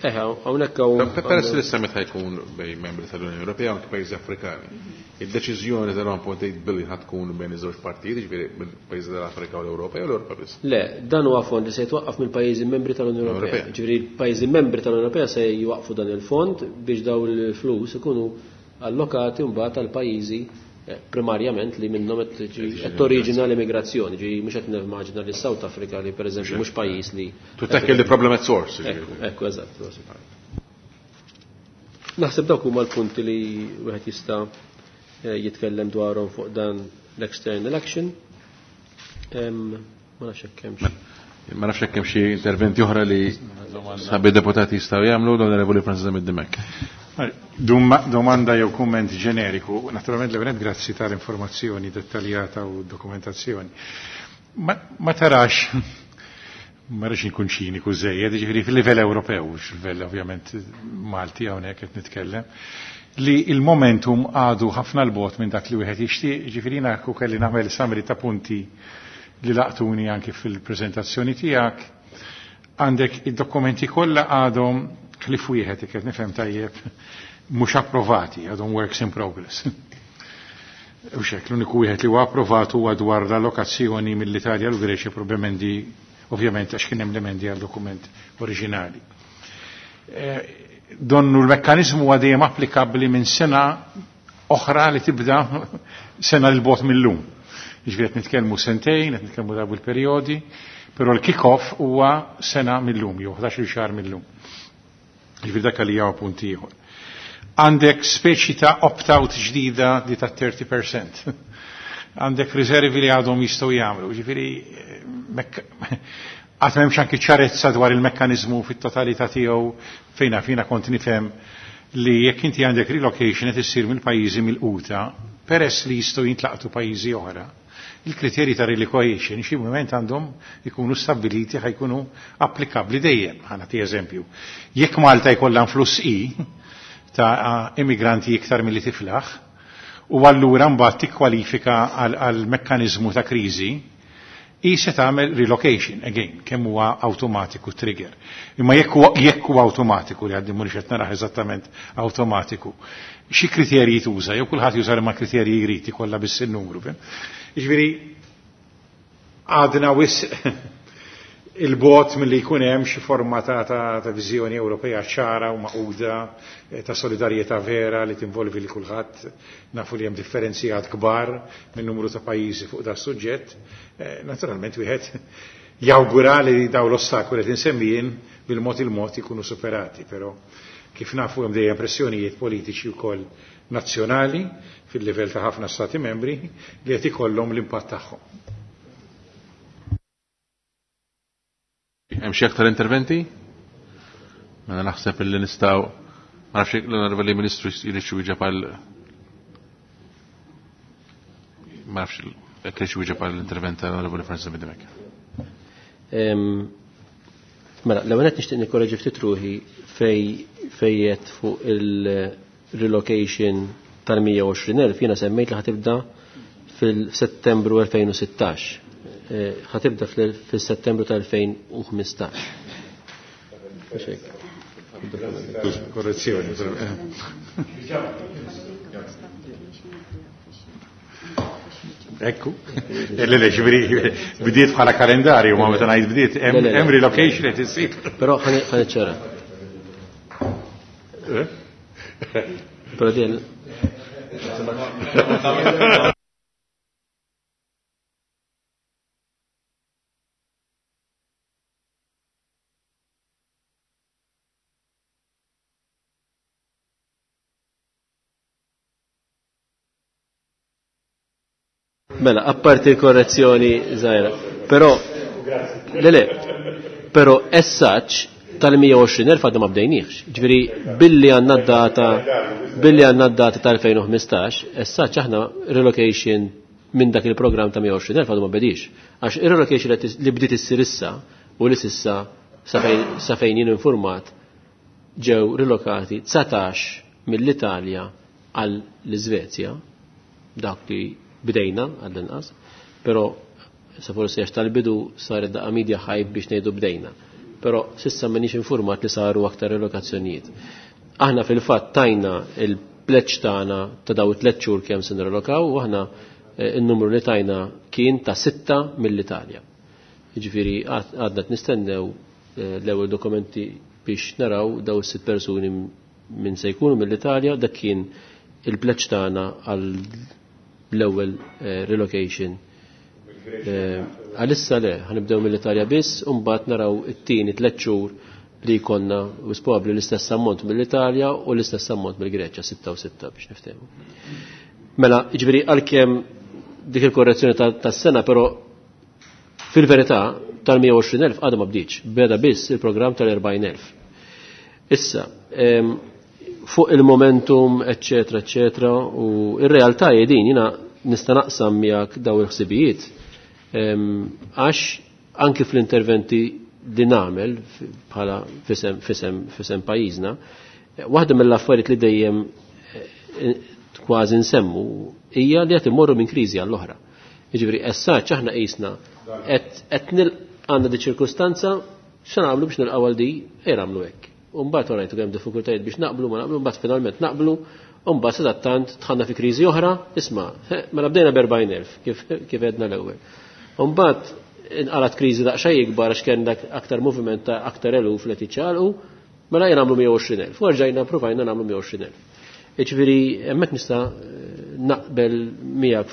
[SPEAKER 4] Hawnhekk hawn.
[SPEAKER 1] Peress li s-summit ħajkun bejn membri tal-Unjoni Ewropea u anke pajjiżi Afrikani. Id-deċiżjoni tal-1.8 billion ħad tkun bejn iż-żewġ partijiet, jiġifieri mill-pajjiżi tal-Afrika u l-Ewropa jew l-Ewropa biss.
[SPEAKER 4] Le, dan huwa fond li se jitwaqqaf mill-pajjiżi membri tal-Unjoni Ewropea. Ġifieri l-pajjiżi membri tal-Unjoni Ewropea se jwaqfu dan il-fond biex daw il-flus ikunu allokati mbagħad għal pajjiżi primarjament li minnhom qed toriġina l-immigrazzjoni, ġi mhux qed nimmaġina li South Africa li pereżempju mhux pajjiż li.
[SPEAKER 1] To tackle the problem at source.
[SPEAKER 4] Ekku, eżatt. Naħseb dawk huma l-punti li wieħed jista' jitkellem dwarhom fuq dan l-external action. Ma nafx hekk hemmx.
[SPEAKER 1] Ma nafx hekk hemm xi interventi oħra li sabi deputati jistgħu jagħmlu l-Onorevoli Francis Dimech.
[SPEAKER 3] Domanda jew kumment ġeneriku, naturalment l grazzi tal-informazzjoni dettaljata u dokumentazzjoni. Ma tarax, ma rridx inkun ċiniku żejjed, jiġifieri fil-livell Ewropew, mhux livell ovvjament Malti hawnhekk qed nitkellem, li il-momentum għadu ħafna l-bot minn dak li wieħed jixtieq, jiġifieri jiena kelli nagħmel summary ta' punti li laqtuni anki fil-preżentazzjoni tiegħek. Għandek id-dokumenti kollha għadhom ħlief wieħed qed nifhem tajjeb mhux approvati, għadhom works in progress. U xek, l-uniku wieħed li huwa approvat huwa dwar l-allokazzjoni mill-Italja l Greċja probablement ovvjament għax kien hemm l-emendi għal dokument oriġinali. Donnu l-mekkanizmu huwa dejjem applikabbli minn sena oħra li tibda sena l bot mill-lum. Jiġifieri qed nitkellmu sentejn, qed nitkellmu dawn il-perjodi, però l-kick-off huwa sena mill-lum, jew 11 xahar mill-lum. Jiġifieri dak li huwa punt ieħor. Għandek speċi ta' opt-out ġdida di ta' 30%. Għandek riservi li għadhom jistgħu jagħmlu. Ġifieri għad m'hemmx anki ċarezza dwar il-mekkaniżmu fit-totalità tiegħu fejna fina kont nifhem li jekk inti għandek relocation qed issir mill-pajjiżi mill-quta, peress li jistgħu jintlaqtu pajjiżi oħra. Il-kriterji ta' relocation xi mument għandhom ikunu stabbiliti ħajkunu applikabbli dejjem. Ħa nagħti eżempju. Jekk Malta jkollha influss i ta' immigranti iktar milli tiflaħ, u allura mbagħad tikkwalifika għal mekkaniżmu ta' kriżi, i se tagħmel relocation again, kemm huwa awtomatiku trigger. Imma jekk huwa awtomatiku li għaddi mhux qed naraħ eżattament awtomatiku. Xi kriterji tuża, jew kulħadd juża ma kriterji jrid kollha biss in-numru. Jiġifieri għadna wisq il-bot mill-li jkun hemm xi forma ta' viżjoni Ewropea ċara u maquda ta' solidarjetà vera li tinvolvi li kulħadd. Nafu li hemm differenzijat kbar minn numru ta' pajjiżi fuq da' suġġett. Naturalment wieħed jawgura li daw l-ostakoli qed insemmijin bil-mod il-mod ikunu superati, però Kif nafu hemm dejjem pressjonijiet politiċi wkoll nazzjonali fil-livell ta' ħafna stati membri li qed ikollhom l-impatt tagħhom.
[SPEAKER 1] Hemm xi aktar interventi? Mela naħseb illi nistgħu ma nafx l-Onorevoli Ministru jrid xi wieġeb għal ma nafx jekk irid xi wieġeb għall-intervent tal-Onorevoli Francis Bidimek.
[SPEAKER 4] Mela, l-ewwel qed nixtieq nikkoreġi ftit ruħi fej fejjet fuq il-relocation tal-120,000 jiena semmejt li ħatibda fil-Settembru 2016. Ħatibda fil-Settembru tal-2015.
[SPEAKER 3] Korrezzjoni. Ekku. Le, le, ġifieri bdiet bħala kalendarju, ma meta ngħid bdiet hemm relocation qed issir.
[SPEAKER 4] Però ħa niċċara. Però din Mela, apparti l-korrezzjoni żgħira. Però le le, però as such tal-120,000 għadna ma bdejniex. Ġifieri billi għandna d-data billi għandna d-data tal-2015, as such aħna relocation minn dak il-programm ta' 120,000 għadu ma bedix. Għax ir-relocation li bdiet issir issa u li sissa sa fejn jien informat ġew rilokati 19 mill-Italja għal l-Iżvezja, dak li bdejna għall-inqas, però sa forsi għax tal-bidu saret daqqa media hype biex ngħidu bdejna. Però sissa m'għandix informat li saru aktar relokazzjonijiet. Aħna fil-fatt tajna il-pledge tagħna ta' daw it-tliet xhur kemm se nirrelokaw u aħna n-numru li tajna kien ta' 6 mill-Italja. Jiġifieri għadna qed nistennew l-ewwel dokumenti biex naraw daw is-sitt persuni minn se jkunu mill-Italja, dak kien il-pledge tagħna għal l-ewwel relocation. Għalissa le, ħanibdew mill-Italja biss, u mbagħad naraw it-tieni 3 xhur li jkollna wis probabbli l-istess ammont mill-Italja u l-istess ammont mill-Greċja, 6 u 6 biex niftehmu. Mela, jiġifieri għalkemm dik il-korrezzjoni tas-sena, però fil-verità tal-120,000 għadha ma bdietx, beda biss il-programm tal-40,000. Issa, fuq il-momentum, eccetera, eccetera, u ir-realtà hi din, jiena nista' naqsam miegħek daw il-ħsibijiet, għax anki fl-interventi li nagħmel bħala fisem pajjiżna, waħda mill-affarijiet li dejjem kważi nsemmu hija li qed immorru minn kriżi għall-oħra. Jiġifieri essaċ aħna qisna qed għandna di ċirkustanza x'nagħmlu biex nilqgħu għal di, ejja nagħmlu hekk. U mbagħad wara ngħidu kemm diffikultajiet biex naqblu ma naqblu, mbagħad finalment naqblu, u mbagħad sadattant dħalna fi kriżi oħra, isma', mela bdejna b'40,000 kif għedna l-ewwel. U mbagħad inqalat kriżi daqsxejn ikbar għax kien dak aktar moviment ta' aktar eluf li qed jiċċaqalqu, mela jien nagħmlu 120,000. U rġajna provajna nagħmlu 120,000. Jiġifieri hemmhekk nista' naqbel miegħek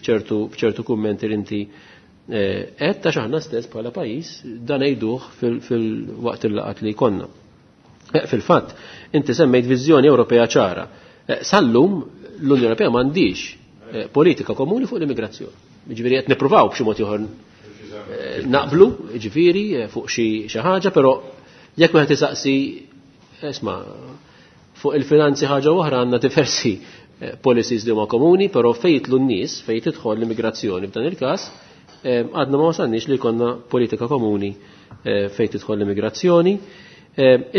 [SPEAKER 4] f'ċertu kummenti li inti qed għax aħna stess bħala pajjiż dan ngħiduh fil-waqt il-laqat li jkollna. Fil-fatt, inti semmejt viżjoni Ewropea ċara. Sal-lum l-Unjoni Ewropea m'għandix politika komuni fuq l-immigrazzjoni. Jiġifieri qed nippruvaw b'xi mod ieħor naqblu, jiġifieri fuq xi ħaġa, però jekk wieħed isaqsi isma' fuq il-finanzi ħaġa oħra għandna diversi policies li huma komuni, però fejn jidħlu n-nies, fejn tidħol l-immigrazzjoni f'dan il-każ, għadna ma wasalniex li jkollna politika komuni fejn tidħol l-immigrazzjoni.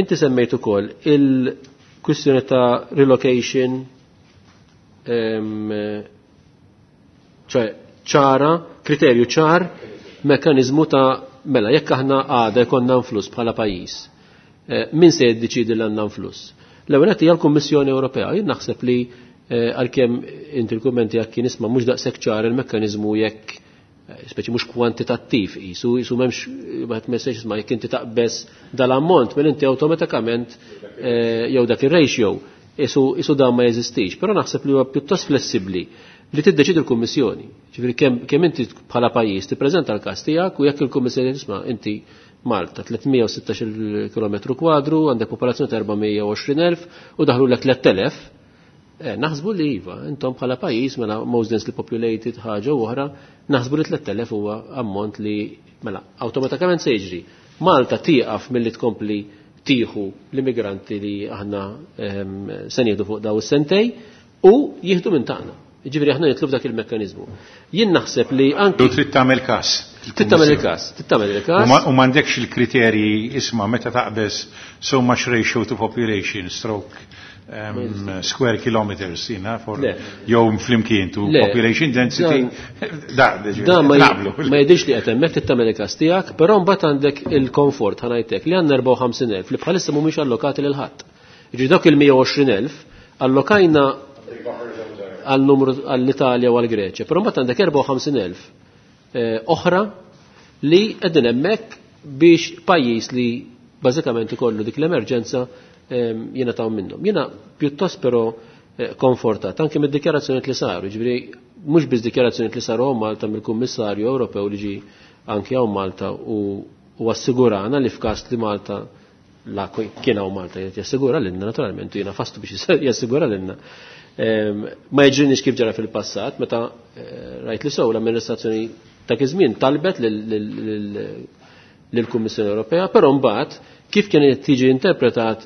[SPEAKER 4] Inti semmejt ukoll il-kwistjoni ta' relocation, ċoè ċara, kriterju ċar, mekanizmu ta' mela jekk aħna għada jkollna nfluss bħala pajjiż, min se jiddeċiedi li għandna nfluss? L-ewwel nett hija l-Kummissjoni Ewropea. Jien naħseb li għalkemm inti l-kummenti jekk kien isma' mhux daqshekk ċar il-mekkaniżmu jekk speċi mhux kwantitattiv qisu m'hemmx wieħed messaġġ isma' jekk inti taqbeż dal-ammont minn inti awtomatikament jew dak ir-ratio isu dan ma jeżistix. Però naħseb li huwa pjuttost flessibbli li tiddeċidi l-Kummissjoni. Ġifieri kemm inti bħala pajjiż tippreżenta l-każ tiegħek u jekk il-Kummissjoni tisma' inti Malta 316 km kwadru, għandek popolazzjoni ta' 420,000 u daħlu l 3,000. Naħsbu li iva, intom bħala pajjiż mela most densely populated ħaġa oħra, naħsbu li 3,000 huwa ammont li mela awtomatikament se jiġri. Malta tieqaf milli tkompli tieħu l-immigranti li aħna se nieħdu fuq daw is-sentej u jieħdu minn tagħna. Jiġifieri aħna nitlu f'dak il-mekkaniżmu. Jien naħseb li anki
[SPEAKER 3] U trid tagħmel każ.
[SPEAKER 4] Trid tagħmel il-każ, trid tagħmel il-każ.
[SPEAKER 3] U m'għandekx il-kriterji isma' meta taqbeż so much ratio to population stroke square kilometers jina for jew flimkien to population density.
[SPEAKER 4] Da, da ma jidhirx li qed hemmhekk trid tagħmel il-każ tiegħek, però mbagħad għandek il-komfort ħa ngħidlek li għandna 54,000 li bħalissa mhumiex allokati lil ħadd. Jiġifieri dawk il-120,000 allokajna għal numru għall-Italja u għall-Greċja, però mbagħad għandek 54,000 oħra li qegħdin hemmhekk biex pajjiż li bażikament ikollu dik l-emerġenza jingħataw minnhom. Jiena pjuttost però komfortat anke mid-dikjarazzjonijiet li saru, jiġifieri mhux biss dikjarazzjonijiet li saru hawn Malta mill-Kummissarju Ewropew li ġie anke hawn Malta u assigurana li f'każ li Malta la kien hawn Malta jgħid jassigura lilna naturalment u jiena fastu biex jassigura lilna. Ma jiġrinix kif ġara fil-passat meta rajt li sew l-amministrazzjoni ta' iż-żmien talbet lill-Kummissjoni Ewropea, però mbagħad kif kienet tiġi interpretat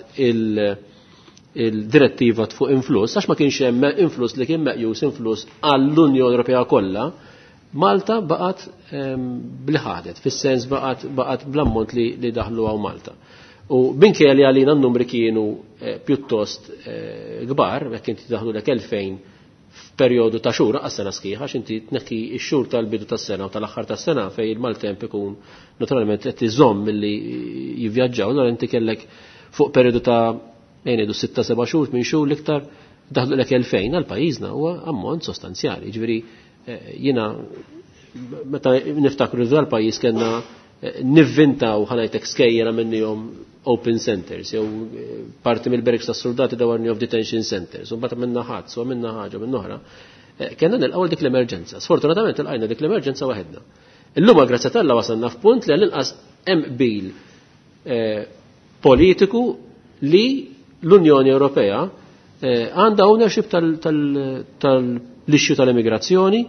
[SPEAKER 4] il-direttiva fuq influss, għax ma kienx hemm influss li kien meqjus influss għall-Unjoni Ewropea kollha, Malta baqgħet bli ħadet, fis-sens baqgħet bl-ammont li daħlu hawn Malta. U minkejja li għalina n-numri kienu pjuttost kbar, jekk inti daħlu lek 2000 f'perjodu ta' xhur għas sena sħiħa, għax inti tneħħi x-xhur tal-bidu tas-sena u tal-aħħar tas-sena fejn il-maltemp ikun naturalment qed iżomm milli jivvjaġġaw, allura inti kellek fuq perjodu ta' ngħidu 6-7 xhur, 8 xhur l-iktar daħlu lek 2000 għal pajjiżna huwa ammont sostanzjali. Jiġifieri jiena meta niftakru dal-pajjiż kellna nivvintaw ħanajtek skejjela minnihom open centers, jew parti mill-barracks tas-soldati dawarni of detention centers, u mbagħad minna ħadd, u minna ħaġa minn oħra. Kellna nilqgħu dik l-emerġenza. Sfortunatament ilqajna dik l-emerġenza waħedna. Illum grazzi t'Alla wasalna f'punt li għall-inqas hemm qbil politiku li l-Unjoni Ewropea għandha ownership tal-issue tal-immigrazzjoni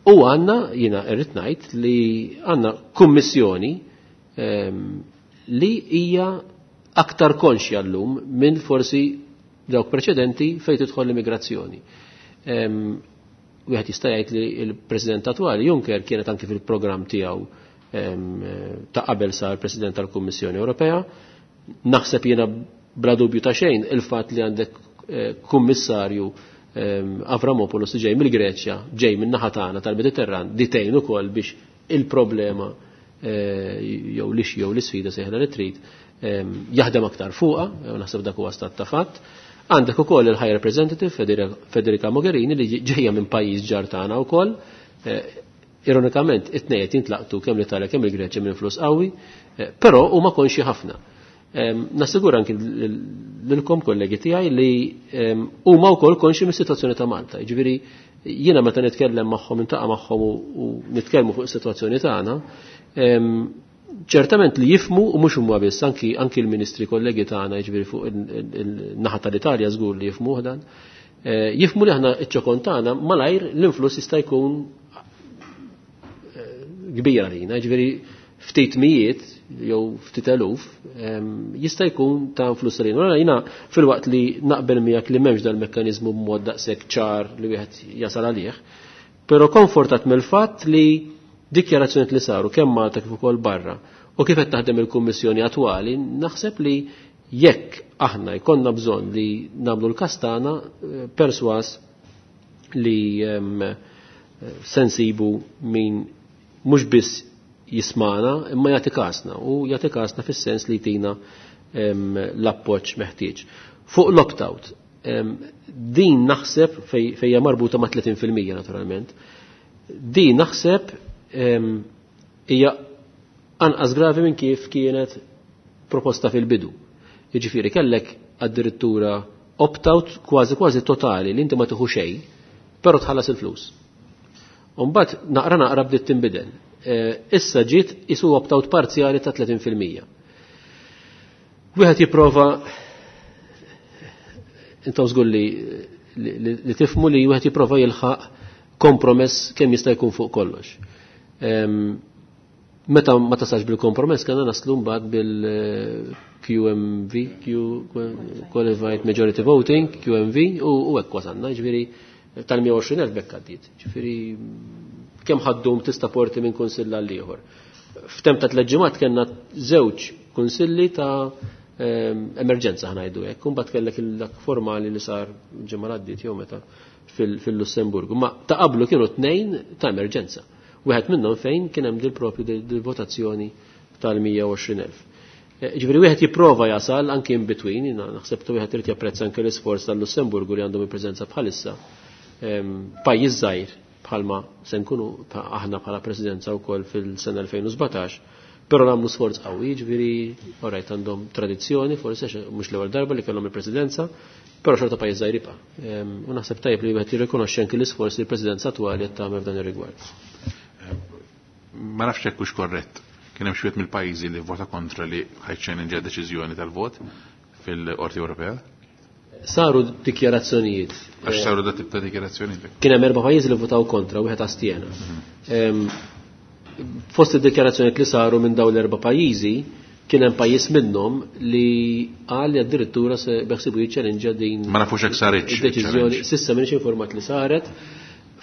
[SPEAKER 4] u għandna, jiena irrid ngħid, li għandna kummissjoni li hija aktar konxja llum minn forsi dawk preċedenti fejn tidħol l-immigrazzjoni. Wieħed jista' jgħid li l-President attwali Juncker kienet anki fil-programm tiegħu ta' qabel sar President tal-Kummissjoni Ewropea. Naħseb jiena bla dubju ta' xejn il-fatt li għandek kummissarju Avramopoulos ġej mill-Greċja, ġej minn naħa tagħna tal-Mediterran, ditejn ukoll biex il-problema jew l-issue jew l-isfida sejħla li trid jaħdem aktar fuqha, naħseb dak huwa stat ta' fatt. Għandek ukoll il-High Representative Federica Mogherini li ġejja minn pajjiż ġar tagħna wkoll. Ironikament, it-tnejn qed jintlaqtu kemm l-Italja kemm il-Greċja minn flus qawwi, però huma konxi ħafna. Nassigura anki lilkom kollegi tiegħi li huma wkoll konxi mis-sitwazzjoni ta' Malta. Jiġifieri jiena meta nitkellem magħhom, intaqa' magħhom u nitkellmu fuq is-sitwazzjoni tagħna, ċertament li jifmu u mhux huma biss, anki l-ministri kollegi tagħna, jiġifieri fuq il-naħa tal-Italja żgur li jifmuh dan, jifmu li aħna iċ-ċokon tagħna malajr l-influss jista' jkun kbir għalina, jiġifieri ftit mijiet jew ftit eluf jista' jkun ta' influss għalina. Allura jiena filwaqt li naqbel miegħek li m'hemmx dal-mekkaniżmu b'mod daqshekk ċar li wieħed jasal għalih, però konfortat mill-fatt li dikjarazzjonijiet li saru kemm Malta kif ukoll barra u kif qed taħdem il-Kummissjoni attwali, naħseb li jekk aħna jkollna bżonn li nagħmlu l-każ tagħna perswas li sensibu min mhux biss jismana imma jagħti kasna u jagħti kasna fis-sens li jtina l-appoġġ meħtieġ. Fuq l-opt-out, din naħseb fejja marbuta ma' 30% naturalment, din naħseb hija anqas gravi minn kif kienet proposta fil-bidu. Jiġifieri kellek addirittura opt-out kważi kważi totali li inti ma tieħu xejn, però tħallas il-flus. U mbagħad naqra naqra bdiet tinbidel. Issa ġiet isu opt-out parzjali ta' 30%. Wieħed jipprova intom żgur li tifmu li wieħed jipprova jilħaq kompromess kemm jista' jkun fuq kollox. Meta ma tasax bil-kompromess kellna naslu mbagħad bil-QMV, Q Qualified Majority Voting, QMV, u hekk wasalna, ġifieri tal-120,000 bekk għaddiet. Ġifieri kemm ħaddum tista' porti minn kunsill għal ieħor. F'temp ta' tliet ġimgħat kellna żewġ kunsilli ta' emerġenza ħnajdu hekk, u mbagħad kellek dak formali li sar ġimgħa għaddiet jew meta fil-Lussemburgu. Ma ta' qablu kienu tnejn ta' emerġenza. Wieħed minnhom fejn kien hemm dil propju dil-votazzjoni tal-120,000. Ġifieri wieħed jipprova jasal anke in between, jiena naħseb tu wieħed irid japprezza anke l-isforz tal-Lussemburgu li għandhom il-preżenza bħalissa. Pajjiż żgħir bħalma se nkunu aħna bħala presidenza wkoll fil-sena 2017, però nagħmlu sforz qawwi, ġifieri orajt għandhom tradizzjoni, forsi mhux l-ewwel darba li kellhom il-presidenza, però xorta pajjiż żgħir jibqa'. U naħseb tajjeb li wieħed jirrikonoxxi anke l-isforz li l-presidenza attwali qed tagħmel f'dan ir-rigward.
[SPEAKER 1] Ma nafx hekk hux korrett. Kien hemm xi wieħed mill-pajjiżi li vota kontra li ħajċċellenġja deċiżjoni tal-vot fil-Qorti Ewropea?
[SPEAKER 4] Saru dikjarazzjonijiet.
[SPEAKER 1] Għax saru dat tip ta' dikjarazzjonijiet.
[SPEAKER 4] Kien hemm 4 pajjiżi li votaw kontra, wieħed astjena. Fost id-dikjarazzjonijiet li saru minn dawn l-4 pajjiżi, kien hemm pajjiż minnhom li qal li addirittura se beħsibu jiċċellenġja din
[SPEAKER 1] Ma nafux hekk saritx
[SPEAKER 4] id-deċiżjoni.
[SPEAKER 1] challenge.
[SPEAKER 4] S'issa m'iniex informat li saret.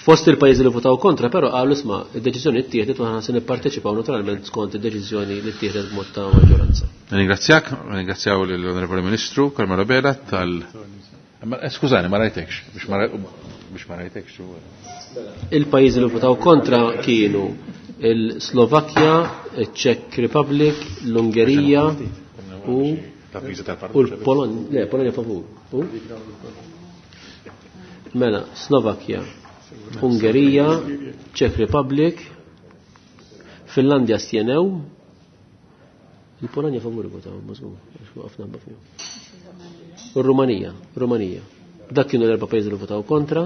[SPEAKER 4] Fost il-pajjiżi li votaw kontra, però qalu isma' id-deċiżjoni ttieħdet u aħna se nipparteċipaw naturalment skont id-deċiżjoni li ttieħdet b'mod ta' maġġoranza.
[SPEAKER 1] Ringrazzjak, ringrazzjaw lill-Onorevoli Ministru Carmelo Abela tal Ma skużani, ma rajtekx, biex ma rajtekx.
[SPEAKER 4] Il-pajjiżi li votaw kontra kienu il-Slovakkja, il-Czech Republic, l-Ungerija u l-Polonja. Le, Polonja favur. U? Mela, Slovakkja, Ungerija, Czech Republic, Finlandja stjenew, il-Polonja favur votaw, ma żgur, għax waqafna ħabba fihom. U Rumanija, Rumanija. Dak kienu l-4 pajjiżi li votaw kontra,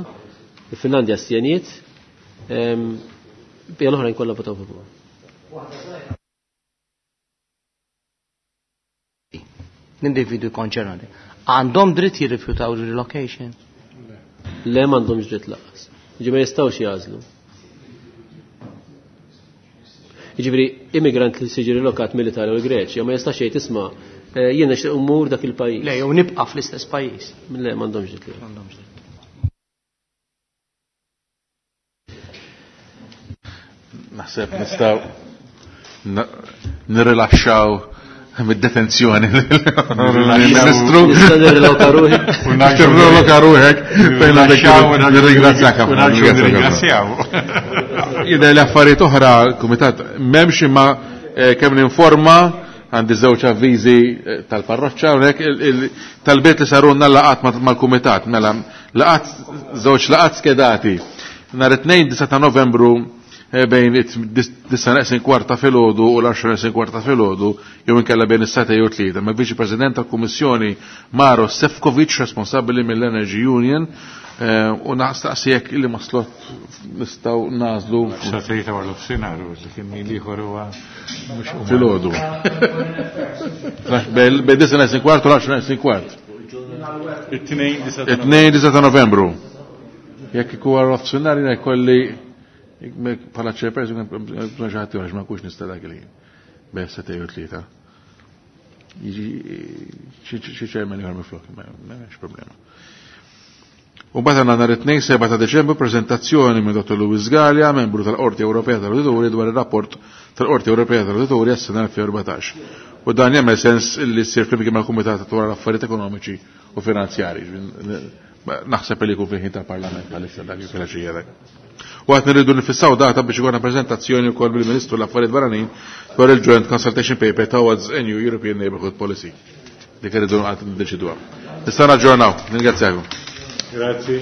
[SPEAKER 4] il-Finlandja stjeniet, bija l-oħrajn kollha votaw favur.
[SPEAKER 6] L-individwi konċernati għandhom dritt jirrifjutaw il-relocation?
[SPEAKER 4] Le, m'għandhomx dritt lanqas. Ġi ma jistgħux jażlu. Jiġifieri immigrant li siġi rilokat mill-Italja u l-Greċja ma jistax jgħid isma' jien nixtieq immur dak il-pajjiż.
[SPEAKER 6] Le, jew nibqa' fl-istess pajjiż.
[SPEAKER 4] Le, m'għandhomx dritt.
[SPEAKER 6] M'għandhomx dritt.
[SPEAKER 1] Naħseb nistgħu nirrilaxxaw mid-detenzjoni l-Ministru.
[SPEAKER 4] Nista' nirriloka ruħi.
[SPEAKER 1] Nirriloka ruħek. Fejn għandek nirringrazzjak ħafna.
[SPEAKER 3] Nirringrazzjaw.
[SPEAKER 1] Jidher li affarijiet oħra, kumitat, m'hemmx imma kemm ninforma għandi żewġ avviżi tal-parroċċa hawnhekk tal-bit li sarunna laqat mal-kumitat, mela laqat żewġ laqat skedati. Nhar it-tnejn 9 ta' Novembru bejn disa neqsin kwarta filgħodu u l-għaxra neqsin kwarta filgħodu jew inkella bejn is-seta jew tlieta. Ma' Viċi President tal-Kummissjoni Maro Sefcovic, responsabbli mill-Energy Union, u nastaqsi jekk illi ma slot nistgħu nażlu.
[SPEAKER 3] Sa tlieta wara l-ofsinhar, u li kien min ieħor huwa mhux huma.
[SPEAKER 1] Filgħodu. Bejn disa neqsin kwart u l-għaxra neqsin kwart.
[SPEAKER 3] It-tnejn disa ta'
[SPEAKER 1] It-tnejn disa ta' Novembru. Jekk ikun wara l-ofsinhar jiena jkolli bħala chairperson, bżonn xi ħadd ieħor, ma nkunx nista' dak il-ħin. Bejn seta' jew tlieta. Jiġi xi chairman ieħor minflok, m'hemmx problema. U mbagħad għandna nhar it-tnejn 7 ta' Deċembru preżentazzjoni minn Dottor Louis Galea, membru tal-Qorti Ewropea tal-Awdituri dwar ir-rapport tal-Qorti Ewropea tal-Awdituri għas-sena 2014. U dan jagħmel sens li ssir flimkien mal-Kumitat dwar l-Affarijiet Ekonomiċi u Finanzjarji. Naħseb li jkun fil-ħin tal-Parlament bħalissa dak il-filgħaxija dak. U għad nirridu nifissaw data biex ikollna preżentazzjoni wkoll bil-Ministru l-Affarijiet Barranin dwar il-Joint Consultation Paper towards a New European Neighbourhood Policy. Dik irridu għad niddeċiduha. Nista' naġġornaw. Ningrazzjakom.
[SPEAKER 3] Grazie.